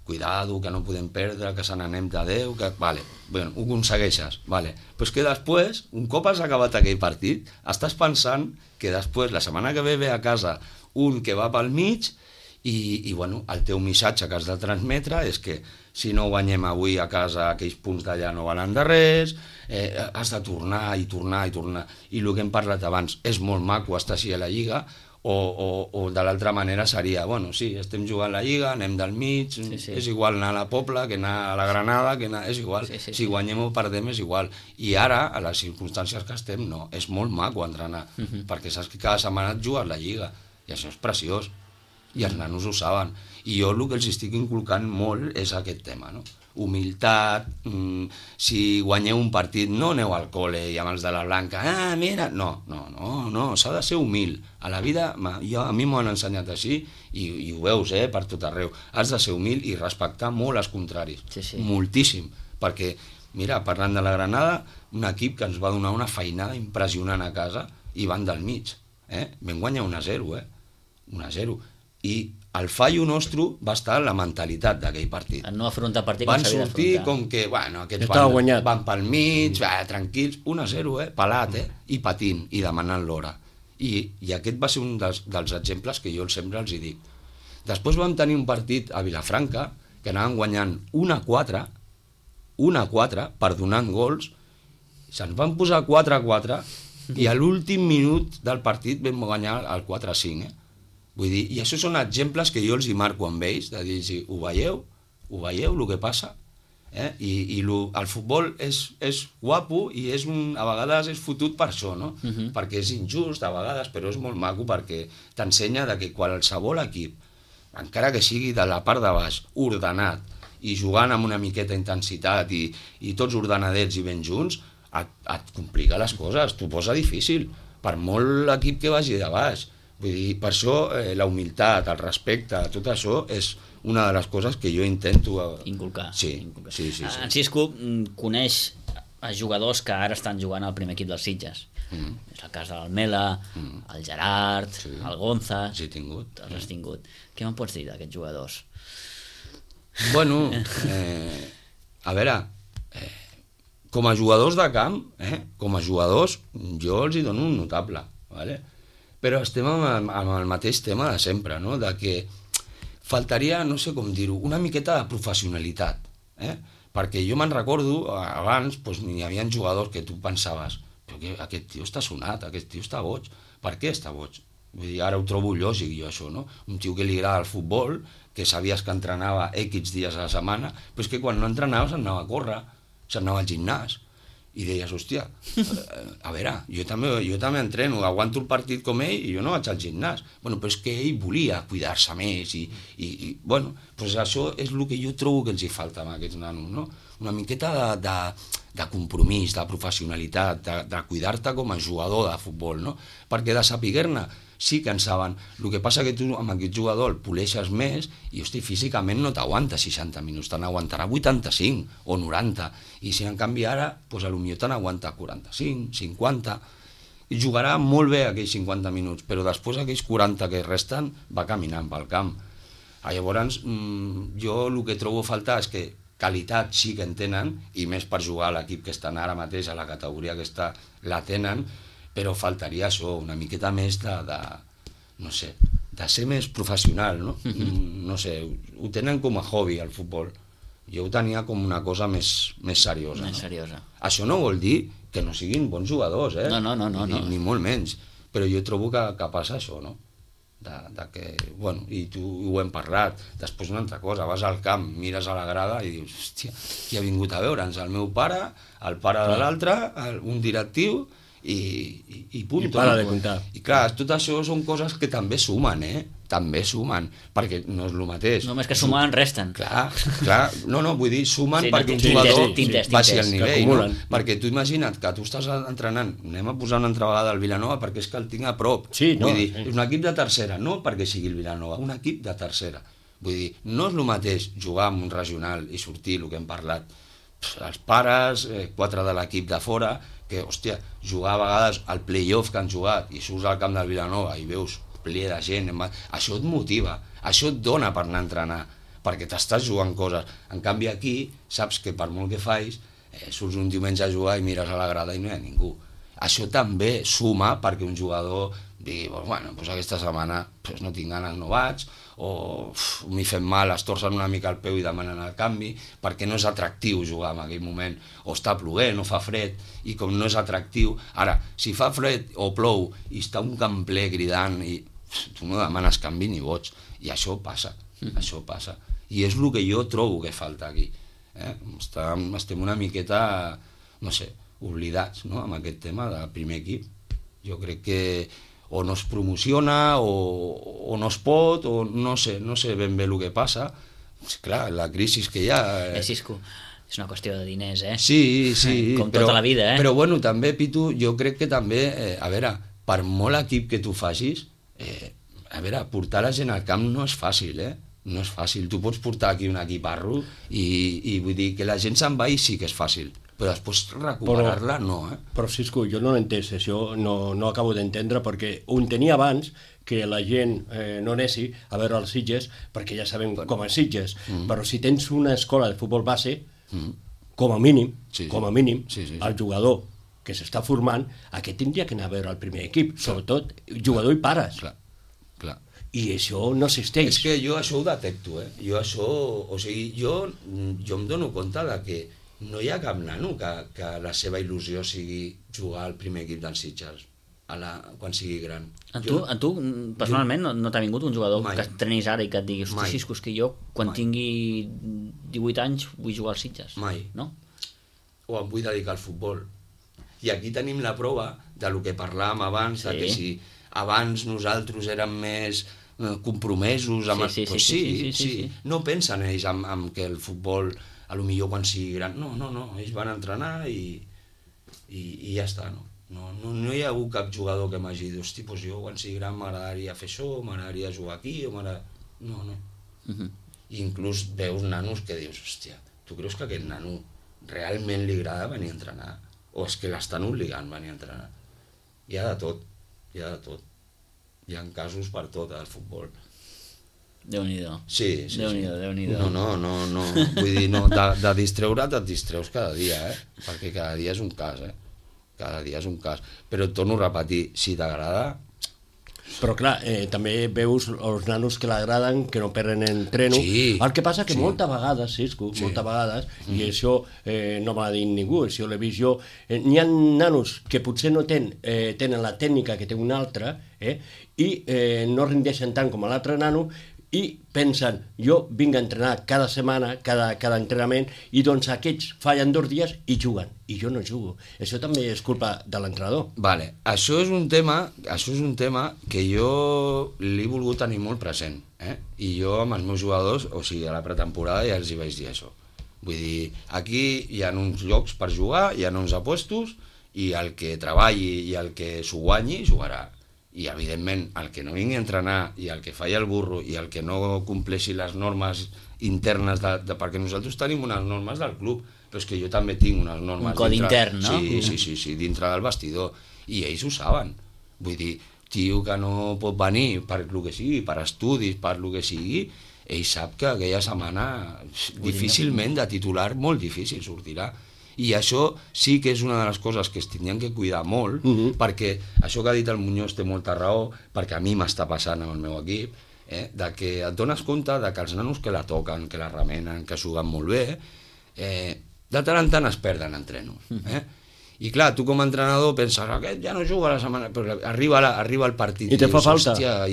cuidado, que no podem perdre, que se n'anem de Déu, que... ho aconsegueixes, però és que després, un cop has acabat aquell partit, estàs pensant que després, la setmana que ve a casa, un que va pel mig i el teu missatge que has de transmetre és que si no guanyem avui a casa aquells punts d'allà no valen de res, has de tornar i tornar i tornar. I el que hem parlat abans, és molt maco estar així a la Lliga, o de l'altra manera seria, sí, estem jugant la Lliga, anem del mig, és igual anar a la Pobla que anar a la Granada, és igual, si guanyem o perdem és igual. I ara, a les circumstàncies que estem, no, és molt maco entrenar, perquè saps que cada setmana et jugues la Lliga, i això és preciós. I els nanos ho saben. I jo el que els estic inculcant molt és aquest tema, no? Humilitat, si guanyeu un partit, no aneu al col·le i amb els de la blanca, mira, no, s'ha de ser humil. A la vida, a mi m'ho han ensenyat així, i ho veus, per tot arreu. Has de ser humil i respectar molt els contraris, moltíssim, perquè, mira, parlant de la Granada, un equip que ens va donar una feinada impressionant a casa i van del mig, vam guanyar 1-0, 1-0, i el fallo nostre va estar en la mentalitat d'aquell partit. En no afrontar partit van sortir com que, aquests van pel mig, tranquils, 1-0, pelat, i patint, i demanant l'hora. I aquest va ser un dels exemples que jo sempre els hi dic. Després vam tenir un partit a Vilafranca, que anaven guanyant 1-4, perdonant gols, se'ns van posar 4-4, i a l'últim minut del partit vam guanyar el 4-5, Vull dir, i això són exemples que jo els hi marco amb ells, de dir, ho veieu el que passa? I el futbol és guapo i a vegades és fotut per això, no? Perquè és injust a vegades, però és molt maco perquè t'ensenya que qualsevol equip, encara que sigui de la part de baix, ordenat, i jugant amb una miqueta intensitat i tots ordenadets i ben junts, et complica les coses, t'ho posa difícil, per molt l'equip que vagi de baix. Vull dir, per això la humilitat, el respecte, tot això és una de les coses que jo intento... Inculcar. Sí. En Xisco coneix a jugadors que ara estan jugant al primer equip dels Sitges. És el cas de l'Almela, el Gerard, el Gonza... Sí, he tingut. Els has tingut. Què me'n pots dir d'aquests jugadors? Bueno, a veure, com a jugadors de camp, com a jugadors, jo els hi dono un notable, ¿vale? Però estem amb el mateix tema de sempre, no? De que faltaria, no sé com dir-ho, una miqueta de professionalitat, perquè jo me'n recordo, abans hi havia jugadors que tu pensaves, però que aquest tio està sonat, aquest tio està boig, per què està boig? Vull dir, ara ho trobo lògic jo això, no? Un tio que li agrada el futbol, que sabies que entrenava X dies a la setmana, però és que quan no entrenava s'anava a córrer, s'anava al gimnàs, i deies, hòstia, a veure, jo també entreno, aguanto el partit com ell i jo no vaig al gimnàs. Bueno, però és que ell volia cuidar-se més i bueno, doncs això és el que jo trobo que els hi falta a aquests nanos, no? Una miqueta de compromís, de professionalitat, de cuidar-te com a jugador de futbol, no? Perquè de saber-ne sí que en saben. El que passa que tu amb aquest jugador el poleixes més i, hosti, físicament no t'aguanta 60 minuts, te n'aguantarà 85 o 90. I si en canvi ara, doncs potser te n'aguanta 45, 50. I jugarà molt bé aquells 50 minuts, però després aquells 40 que resten va caminant pel camp. Llavors, jo el que trobo a faltar és que qualitat sí que en tenen, i més per jugar a l'equip que estan ara mateix, a la categoria que està, la tenen, però faltaria això, una miqueta més no sé, de ser més professional, no? No sé, ho tenen com a hobby, el futbol. Jo ho tenia com una cosa més seriosa. Més seriosa. Això no vol dir que no siguin bons jugadors, No. Ni molt menys. Però jo trobo que passa això, no? De que, bueno, i tu ho hem parlat, després una altra cosa, vas al camp, mires a la grada i dius, hòstia, qui ha vingut a veure'ns? El meu pare, el pare de l'altre, un directiu, i punt. I para de comptar. I clar, tot això són coses que també sumen, també sumen, perquè no és el mateix. Només que sumen resten. Clar, no, vull dir, sumen Sí, perquè un tintes, jugador tintes. baixi el nivell, no? Acumulen. Perquè tu imagina't que tu estàs entrenant, anem a posar una altra vegada al Vilanova perquè és que el tinc a prop. Sí, no, vull dir, sí. és un equip de tercera, no perquè sigui el Vilanova, un equip de tercera. Vull dir, no és el mateix jugar amb un regional i sortir, el que hem parlat, els pares, 4 de l'equip de fora, que, hòstia, jugar a vegades al play-off que han jugat i surts al camp del Vilanova i veus ple de gent, això et motiva, això et dona per anar a entrenar, perquè t'estàs jugant coses. En canvi aquí, saps que per molt que facis, surts un diumenge a jugar i mires a la grada i no hi ha ningú. Això també suma perquè un jugador digui, bueno, doncs aquesta setmana no tinc ganes, no vaig, o m'hi fem mal, es torcen una mica el peu i demanen el canvi, perquè no és atractiu jugar en aquell moment, o està plovent o fa fred, i com no és atractiu, ara, si fa fred o plou i està un camp ple cridant, i tu no demanes canvi ni boig, i això passa, i és el que jo trobo que falta aquí. Estem una miqueta, no sé, oblidats, no?, amb aquest tema del primer equip. Jo crec que o no es promociona o no es pot, o no sé ben bé el que passa. Clar, la crisi que hi ha... Xisco, és una qüestió de diners, Sí, com tota la vida, Però bueno, també, Pitu, jo crec que també, a veure, per molt equip que tu facis, a veure, portar la gent al camp no és fàcil, no és fàcil. Tu pots portar aquí un equiparro i vull dir que la gent se'n va i sí que és fàcil, però després recuperar-la no, Però, Xisco, jo no l'he entès, això no acabo d'entendre, perquè ho tenia abans, que la gent no anessi a veure els Sitges, perquè ja sabem com és Sitges, però si tens una escola de futbol base, com a mínim, el jugador que s'està formant, aquest tindria que anar a veure el primer equip, sobretot jugador i pares. Clar. I això no existeix. És que jo això ho detecto, Jo això, o sigui, jo em dono compte de que no hi ha cap nano que la seva il·lusió sigui jugar al primer equip dels Sitges quan sigui gran. A tu personalment, no t'ha vingut un jugador que trenis ara i que et digui, hosti, Xisco, és que jo, quan tingui 18 anys, vull jugar als Sitges? Mai. No? O em vull dedicar al futbol. I aquí tenim la prova del que parlàvem abans, de que si abans nosaltres érem més compromesos amb... Sí. No pensen ells en que el futbol, a lo millor quan sigui gran... No, ells van entrenar i... I ja està, no? No hi ha hagut cap jugador que m'hagi dit, hosti, doncs jo quan sigui gran m'agradaria fer això, m'agradaria jugar aquí, o no. I inclús veus nanos que dius, hòstia, tu creus que aquest nano realment li agrada venir a entrenar? O és que l'estan obligant a venir a entrenar? Hi ha de tot. Hi ha casos per tot al futbol. Déu-n'hi-do. Sí. Déu-n'hi-do. No. Vull dir, no, de distreure't et distreus cada dia, perquè cada dia és un cas, Cada dia és un cas. Però et torno a repetir, si t'agrada... Però clar, també veus els nanos que l'agraden, que no perden entreno. Sí, el que passa que sí. moltes vegades, Cisco, moltes vegades, i això no me l'ha dit ningú, això l'he vist jo, n'hi ha nanos que potser no tenen la tècnica que té un altre, i no rendeixen tant com l'altre nano, i pensen, jo vinc a entrenar cada setmana, cada entrenament, i doncs aquests fallen 2 dies i juguen, i jo no jugo. Això també és culpa de l'entrenador. Vale, això és un tema que jo l'he volgut tenir molt present, i jo amb els meus jugadors, o sigui, a la pretemporada ja els hi vaig dir això. Vull dir, aquí hi ha uns llocs per jugar, hi ha uns apuestos, i el que treballi i el que s'ho guanyi, jugarà. I evidentment el que no vingui a entrenar i el que falla el burro i el que no compleixi les normes internes perquè nosaltres tenim unes normes del club, però és que jo també tinc unes normes un codi intern, no? Sí, dintre del vestidor, i ells ho saben. Vull dir, tio que no pot venir per el que sigui, per estudis, per el que sigui, ell sap que aquella setmana difícilment de titular, molt difícil sortirà. I això sí que és una de les coses que es tindrien que cuidar molt, perquè això que ha dit el Muñoz té molta raó, perquè a mi m'està passant amb el meu equip, de que et dones compte de que els nanos que la toquen, que la remenen, que juguen molt bé, de tant en tant es perden entreno. I clar, tu com a entrenador penses, aquest ja no juga la setmana, però arriba el partit i te fa falta. Hòstia,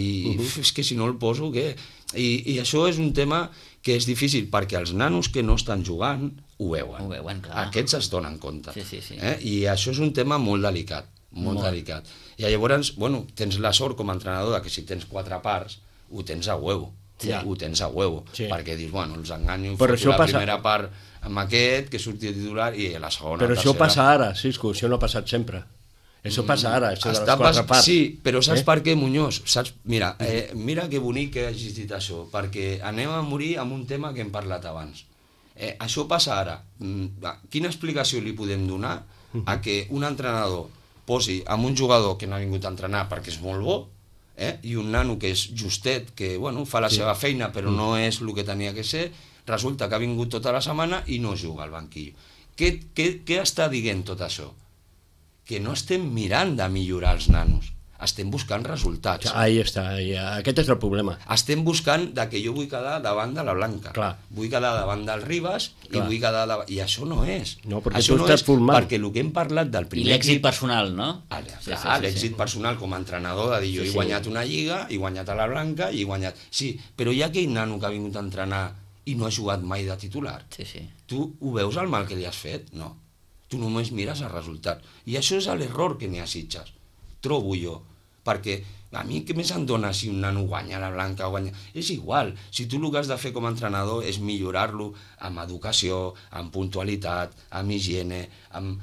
és que si no el poso, què? I això és un tema que és difícil, perquè els nanos que no estan jugant ho veuen. Clar. Aquests es donen compte. Sí. I això és un tema molt delicat, molt delicat. I llavors, tens la sort com a entrenador que si tens 4 parts, ho tens a huevo. Ho tens a huevo, perquè dius, els enganyo, foto la primera part amb aquest, que surti titular, i a la segona, però això passa ara, Cisco, això no ha passat sempre. Això passa ara, això de les 4 parts. Sí, però saps per què, Muñoz? Mira que bonic que hagis dit això, perquè anem a morir amb un tema que hem parlat abans. Això passa ara. Quina explicació li podem donar a que un entrenador posi amb un jugador que no ha vingut a entrenar perquè és molt bo, i un nano que és justet, que fa la seva feina però no és el que tenia que ser, resulta que ha vingut tota la setmana i no juga al banquillo. Què està dient tot això? Que no estem mirant de millorar els nanos, estem buscant resultats. Ahí està, aquest és el problema. Estem buscant que jo vull quedar davant de la Blanca, vull quedar davant del Ribas, i vull quedar davant... I això no és. No, perquè això tu estàs formant. Perquè el que hem parlat del primer... I l'èxit personal, no? L'èxit personal com a entrenador, de dir jo he guanyat una lliga, he guanyat a la Blanca, i he guanyat... Sí, però hi ha aquell nano que ha vingut a entrenar i no ha jugat mai de titular. Tu ho veus el mal que li has fet? No. Tu només mires els resultats. I això és l'error que n'hi ha a Sitges, trobo jo, perquè a mi què més em dona si un nano guanya la Blanca o guanya... És igual, si tu el que has de fer com a entrenador és millorar-lo amb educació, amb puntualitat, amb higiene, amb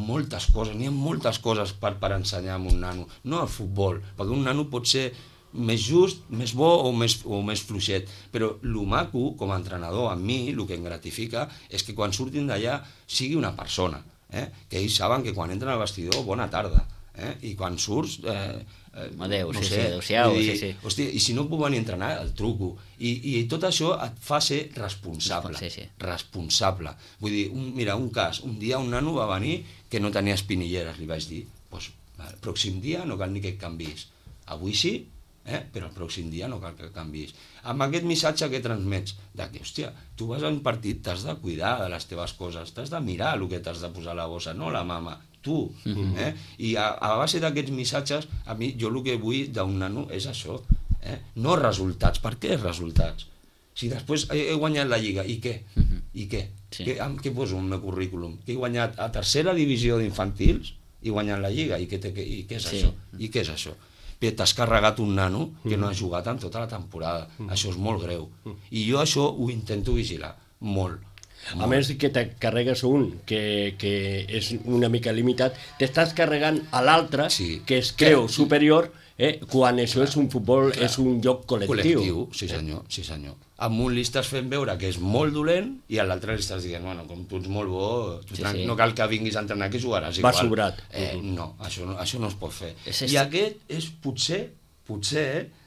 moltes coses, n'hi ha moltes coses per ensenyar a un nano, no al futbol, perquè un nano pot ser més just, més bo o més fluixet, però el maco com a entrenador a mi el que em gratifica és que quan surtin d'allà sigui una persona, que ells saben que quan entren al vestidor bona tarda, i quan surts adéu-siau, hòstia, i si no puc venir a entrenar el truco, i tot això et fa ser responsable. Vull dir, mira, un cas, un dia un nano va venir que no tenia espinilleres, li vaig dir, el pròxim dia no cal ni que et canvis, avui sí, però el pròxim dia no cal que canvis. Amb aquest missatge que transmets, que, hòstia, tu vas a un partit, t'has de cuidar de les teves coses, t'has de mirar el que t'has de posar a la bossa, no la mama, tu. I a base d'aquests missatges, a mi, jo el que vull d'un nano és això, no resultats. Per què resultats? Si després he guanyat la Lliga, i què? I què? Què poso en el meu currículum? Que he guanyat a tercera divisió d'infantils i guanyat la Lliga, i què és això? I què és això? T'has carregat un nano que no ha jugat en tota la temporada. Això és molt greu. I jo això ho intento vigilar, molt. A més que te carregues un que és una mica limitat, t'estàs carregant a l'altre que es creu superior quan això és un futbol, és un joc col·lectiu. Sí senyor. Amb un li estàs fent veure que és molt dolent i a l'altre li estàs dient, bueno, com tu ets molt bo, no cal que vinguis a entrenar, que jugaràs igual. Va sobrat. No, això no es pot fer. I aquest és potser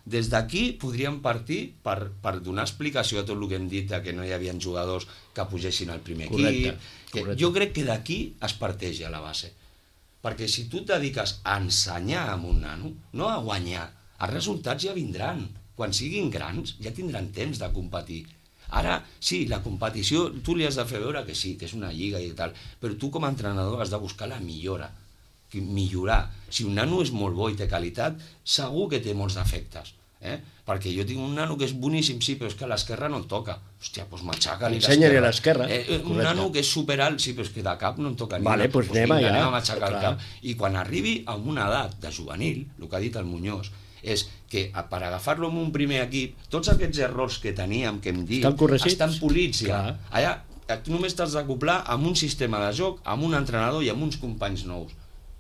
des d'aquí podríem partir per donar explicació a tot el que hem dit que no hi havia jugadors que pugessin al primer equip. Jo crec que d'aquí es parteix a la base. Perquè si tu et dediques a ensenyar amb un nano, no a guanyar, els resultats ja vindran. Quan siguin grans ja tindran temps de competir. Ara, sí, la competició, tu li has de fer veure que sí, que és una lliga i tal, però tu com a entrenador has de buscar la millora. Millorar. Si un nano és molt bo i té qualitat, segur que té molts defectes. Perquè jo tinc un nano que és boníssim, sí, però és que a l'esquerra no et toca. Hòstia, doncs matxaca-li l'esquerra. Ensenya-li a l'esquerra. Un nano que és superalt, sí, però és que de cap no em toca ni. Vale, doncs anem a matxacar el cap. I quan arribi a una edat de juvenil, el que ha dit el Muñoz, és que per agafar-lo en un primer equip, tots aquests errors que teníem, que hem dit, estan polits ja. Allà tu només t'has d'acoplar amb un sistema de joc, amb un entrenador i amb uns companys nous.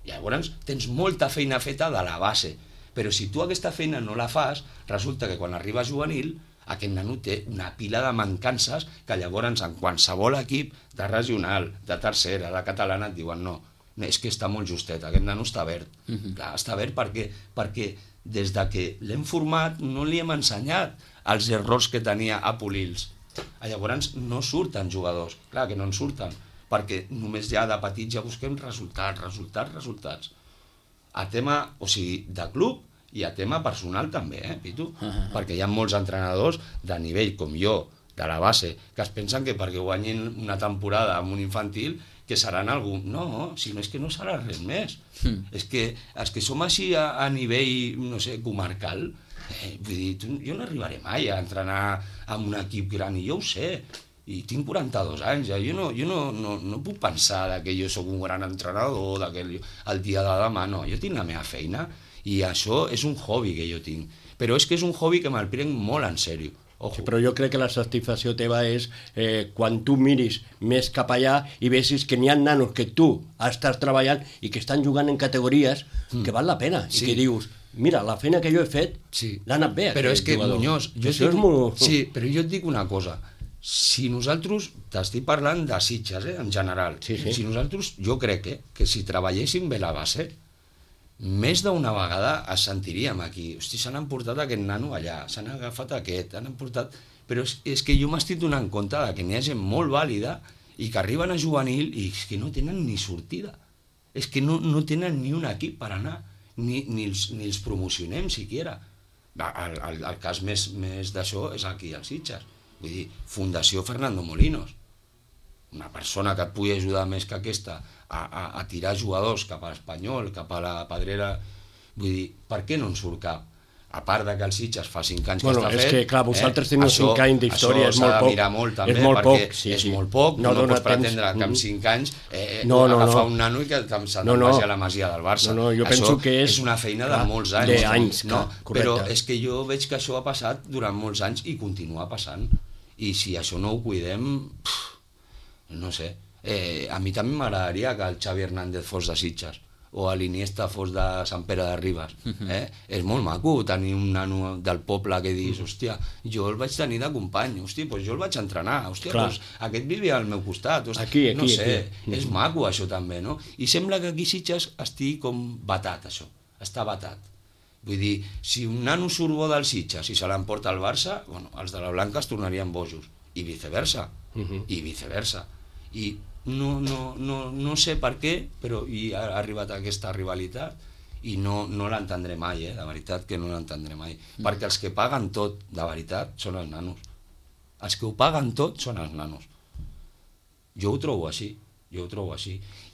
Llavors tens molta feina feta de la base, però si tu aquesta feina no la fas, resulta que quan arriba juvenil, aquest nano té una pila de mancances que llavors en qualsevol equip de regional, de tercera, de catalana, et diuen no, és que està molt justet, aquest nano està verd. Clar, està verd perquè des de que l'hem format no li hem ensenyat els errors que tenia a polir-los. Llavors no surten jugadors, clar que no en surten, perquè només ja de petits ja busquem resultats. A tema, o sigui, de club i a tema personal també, Pitu? Perquè hi ha molts entrenadors de nivell com jo, de la base, que es pensen que perquè guanyin una temporada amb un infantil que seran algú. No, si no és que no serà res més. És que els que som així a nivell, no sé, comarcal, vull dir, jo no arribaré mai a entrenar amb un equip gran, i jo ho sé, i tinc 42 anys, jo no puc pensar que jo sóc un gran entrenador, que el dia de demà, no, jo tinc la meva feina, i això és un hobby que jo tinc, però és que és un hobby que me'l prenc molt en sèrio. Sí, però jo crec que la satisfacció teva és quan tu miris més cap allà i vegis que n'hi ha nanos que tu estàs treballant i que estan jugant en categories que val la pena, i que dius, mira, la feina que jo he fet l'ha anat bé. Però és que, Muñoz, però jo et dic una cosa, si nosaltres, t'estic parlant de Sitges, en general, si nosaltres, jo crec que si treballéssim bé la base, més d'una vegada es sentiríem aquí. Hosti, s'han emportat aquest nano allà, s'han agafat aquest, han emportat... Però és que jo m'estic donant compte que n'hi ha gent molt vàlida i que arriben a juvenil i és que no tenen ni sortida. És que no tenen ni un equip per anar, ni els promocionem siquiera. El cas més d'això és aquí als Sitges. Vull dir, Fundació Fernando Molinos. Una persona que et pugui ajudar més que aquesta a tirar jugadors cap a l'Espanyol, cap a la Pedrera, vull dir, per què no en surt cap? A part de que el Sitges fa 5 anys que està fet... És que, clar, vosaltres teniu 5 anys d'història, és molt poc. Això s'ha de mirar molt, també, perquè és molt poc. No pots pretendre que en 5 anys agafar un nano i que se'n vagi a la Masia del Barça. Això és una feina de molts anys. Però és que jo veig que això ha passat durant molts anys i continua passant. I si això no ho cuidem... No sé, a mi també m'agradaria que el Xavi Hernández fos de Sitges o l'Iniesta fos de Sant Pere de Ribes. És molt maco tenir un nano del poble que dius, hòstia, jo el vaig tenir de company, hòstia, doncs jo el vaig entrenar, hòstia, doncs aquest vivia al meu costat, no sé, és maco això també, no? I sembla que aquí Sitges estigui com batat això, està batat. Vull dir, si un nano surt bo del Sitges i se l'emporta al Barça, bueno, els de la Blanca es tornarien bojos, i viceversa. I no sé per què, però ha arribat aquesta rivalitat i no l'entendré mai, de veritat que no l'entendré mai, perquè els que paguen tot, de veritat, són els nanos. Els que ho paguen tot són els nanos. Jo ho trobo així.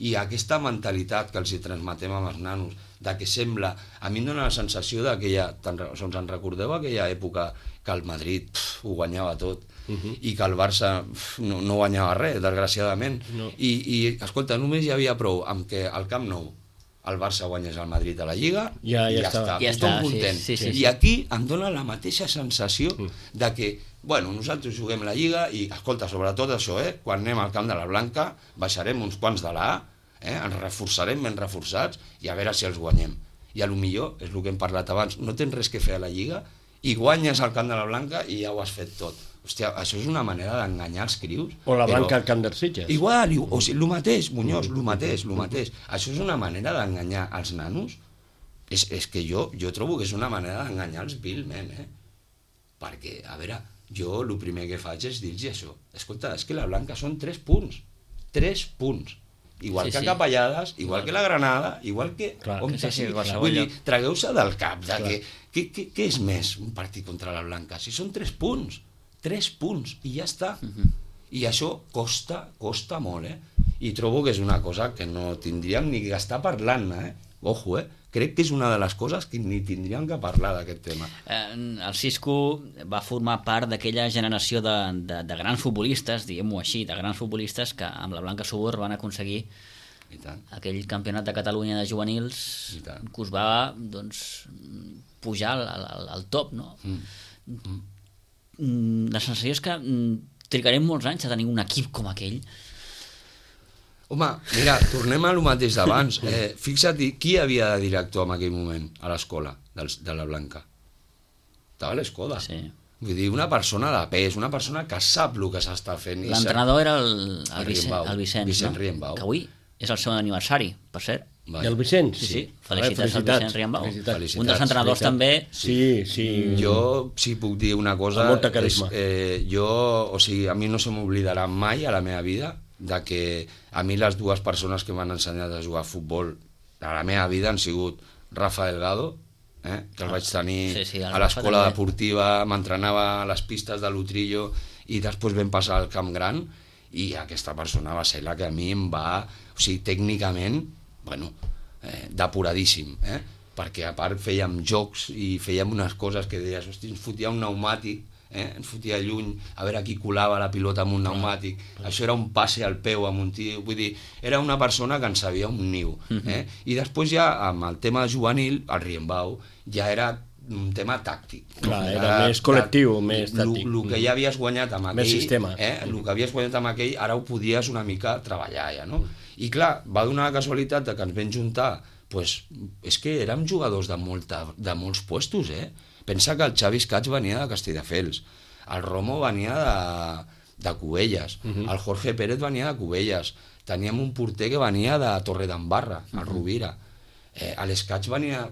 I aquesta mentalitat que els hi transmetem amb els nanos, de que sembla... A mi em dóna la sensació que us en recordeu aquella època que el Madrid ho guanyava tot i que el Barça no guanyava res, desgraciadament. I escolta, només hi havia prou amb que al Camp Nou el Barça guanyés al Madrid a la Lliga i ja està, tothom content. I aquí em dóna la mateixa sensació de que bueno, nosaltres juguem la Lliga i, escolta, sobretot això, quan anem al camp de la Blanca, baixarem uns quants de la A, ens reforçarem ben reforçats i a veure si els guanyem. I a lo millor, és el que hem parlat abans, no tens res que fer a la Lliga i guanyes al camp de la Blanca i ja ho has fet tot. Hòstia, això és una manera d'enganyar els crius. O la Blanca al camp dels Sitges. Igual, o sigui, el mateix, Muñoz, el mateix. Això és una manera d'enganyar els nanos. És que jo trobo que és una manera d'enganyar-los vilment, perquè, a veure, jo el primer que faig és dir-los això. Escolta, és que la Blanca són 3 punts. 3 punts. Igual que Capellades, igual que la Granada, igual que... Vull dir, tragueu-se del cap de què és més un partit contra la Blanca? Si són 3 punts, 3 punts, i ja està. I això costa molt, I trobo que és una cosa que no tindríem ni que estar parlant-ne, Ojo, crec que és una de les coses que ni tindríem que parlar d'aquest tema. El Xisco va formar part d'aquella generació de grans futbolistes, diguem-ho així, de grans futbolistes que amb la Blanca Subur van aconseguir aquell campionat de Catalunya de juvenils que us va pujar al top, no? La sensació és que trigarem molts anys a tenir un equip com aquell. Home, mira, tornem a lo mateix d'abans. Fixa't, qui havia de director en aquell moment a l'escola de la Blanca? Estava l'Escoda. Sí. Vull dir, una persona de pes, una persona que sap el que s'està fent. L'entrenador era el Vicenç, Vicent Riembau. Que avui és el seu aniversari, per cert. I el Vicenç? Sí. Felicitats al Vicent Riembau. Un dels entrenadors també. Sí. Jo, si puc dir una cosa... Amb molta carisma. A mi no se m'oblidarà mai a la meva vida de que a mi les dues persones que m'han ensenyat a jugar a futbol a la meva vida han sigut Rafa Delgado, que el vaig tenir a l'escola deportiva, m'entrenava a les pistes de l'Utrillo i després vam passar al Camp Gran, i aquesta persona va ser la que a mi em va... O sigui, tècnicament, depuradíssim, perquè a part fèiem jocs i fèiem unes coses que deies, hosti, ens fotia un pneumàtic, ens fotia lluny, a veure qui colava la pilota amb un pneumàtic, això era un passe al peu amb un tio, vull dir, era una persona que en sabia un niu, i després ja amb el tema juvenil, el Riembau, ja era un tema tàctic. Clar, era més col·lectiu, més tàctic. El que ja havies guanyat amb aquell, més sistema. El que havies guanyat amb aquell, ara ho podies una mica treballar ja, no? I clar, va donar la casualitat que ens vam juntar, és que érem jugadors de molts puestos, Pensa que el Xavi Escats venia de Castelldefels, el Romo venia de Cubelles, el Jorge Pérez venia de Cubelles, teníem un porter que venia de Torredembarra, el Rovira, l'Escats venia...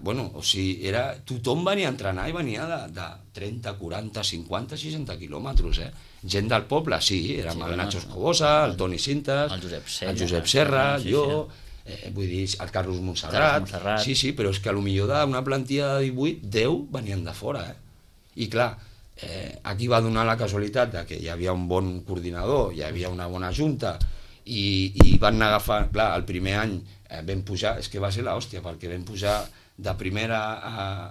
tothom venia a entrenar i venia de 30, 40, 50, 60 quilòmetres, Gent del poble, sí, érem el Nacho Escobosa, el Toni Cintas, el Josep Serra, jo... vull dir, el Carlos Montserrat, sí, però és que potser d'una plantilla de 18, 10 venien de fora, I clar, aquí va donar la casualitat que hi havia un bon coordinador, hi havia una bona junta, i van agafar, clar, el primer any vam pujar, és que va ser l'hòstia, perquè vam pujar de primera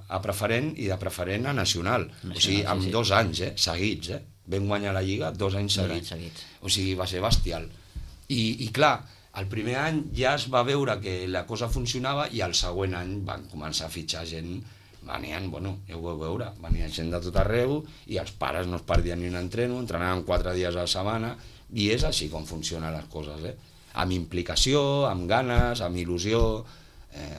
a preferent i de preferent a nacional, o sigui, amb 2 anys seguits, vam guanyar la Lliga 2 anys seguits, o sigui, va ser bestial, i clar, el primer any ja es va veure que la cosa funcionava i el següent any van començar a fitxar gent, venien, ja ho vau veure, venia gent de tot arreu i els pares no es perdien ni un entreno, entrenaven 4 dies a la setmana i és així com funcionen les coses, amb implicació, amb ganes, amb il·lusió,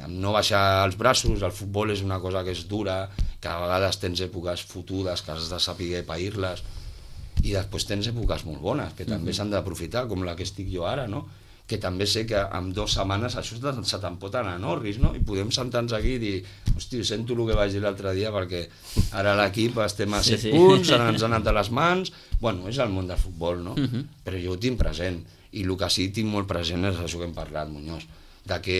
amb no baixar els braços. El futbol és una cosa que és dura, que a vegades tens èpoques fotudes que has de saber pair-les i després tens èpoques molt bones que també s'han d'aprofitar, com la que estic jo ara, no? Que també sé que en 2 setmanes això se te'n pot anar a Norris, no? I podem sentar-nos aquí i dir, hosti, sento el que vaig dir l'altre dia perquè ara l'equip estem a 7 punts, ara ens han anat a les mans... És el món del futbol, no? Però jo ho tinc present, i el que sí tinc molt present és això que hem parlat, Muñoz, de que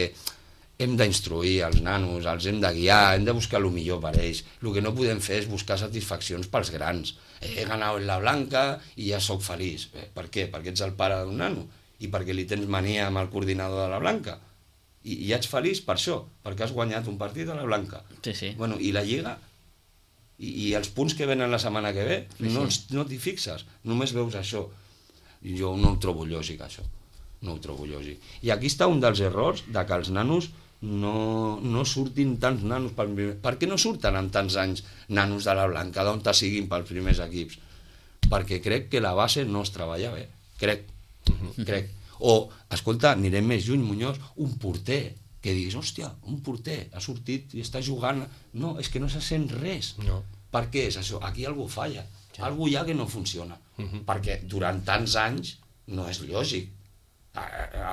hem d'instruir els nanos, els hem de guiar, hem de buscar el millor per ells. El que no podem fer és buscar satisfaccions pels grans. He ganat en la Blanca i ja sóc feliç. Per què? Perquè ets el pare d'un nano i perquè li tens mania amb el coordinador de la Blanca. I ja ets feliç per això, perquè has guanyat un partit a la Blanca. Sí. I la Lliga? I els punts que venen la setmana que ve? No t'hi fixes, només veus això. Jo no ho trobo lògic, això. No ho trobo lògic. I aquí està un dels errors de que els nanos no surtin tants nanos. Per què no surten amb tants anys nanos de la Blanca, d'on siguin pels primers equips? perquè crec que la base no es treballa bé, crec. O, escolta, anirem més lluny, Muñoz, un porter, que diguis, hòstia, un porter ha sortit i està jugant, no, és que no se sent res. No. Per què és això? Aquí algú falla, algú hi ha que no funciona, perquè durant tants anys no és lògic.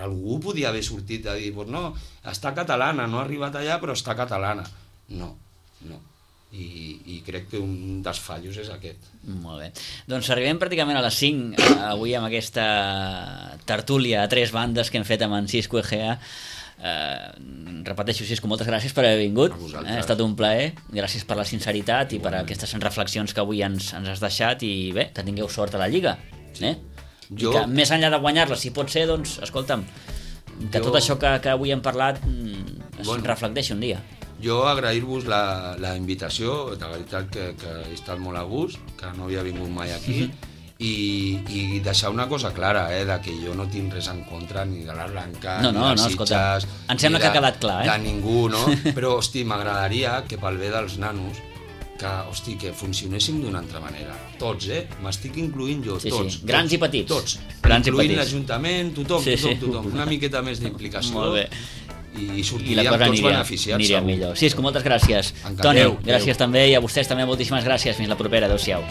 Algú podia haver sortit a dir, pues no, està catalana, no ha arribat allà però està catalana. No. I crec que un dels fallos és aquest. Molt bé. Doncs arribem pràcticament a les 5 avui amb aquesta tertúlia a 3 bandes que hem fet amb en Xisco Egea. Repeteixo, Xisco, moltes gràcies per haver vingut. Ha estat un plaer. Gràcies per la sinceritat i per aquestes reflexions que avui ens has deixat, i bé, que tingueu sort a la Lliga. I que més enllà de guanyar-la, si pot ser, doncs, escolta'm, que tot això que avui hem parlat es reflecteixi un dia. Jo agrair-vos la invitació, de veritat que he estat molt a gust, que no havia vingut mai aquí, i deixar una cosa clara, de que jo no tinc res en contra ni de la Blanca, ni dels Sitges, em sembla que ha quedat clar, de ningú, no? Però, hosti, m'agradaria que pel bé dels nanos, que funcionéssim d'una altra manera. Tots, m'estic incloent jo, tots. Grans i petits. Tots, incloent l'Ajuntament, tothom. Una miqueta més d'implicació. Molt bé. I sortiríem tots beneficiats. Aniria millor. Xisco, moltes gràcies. Toni, gràcies també, i a vostès també moltíssimes gràcies. Fins la propera. Adéu-siau.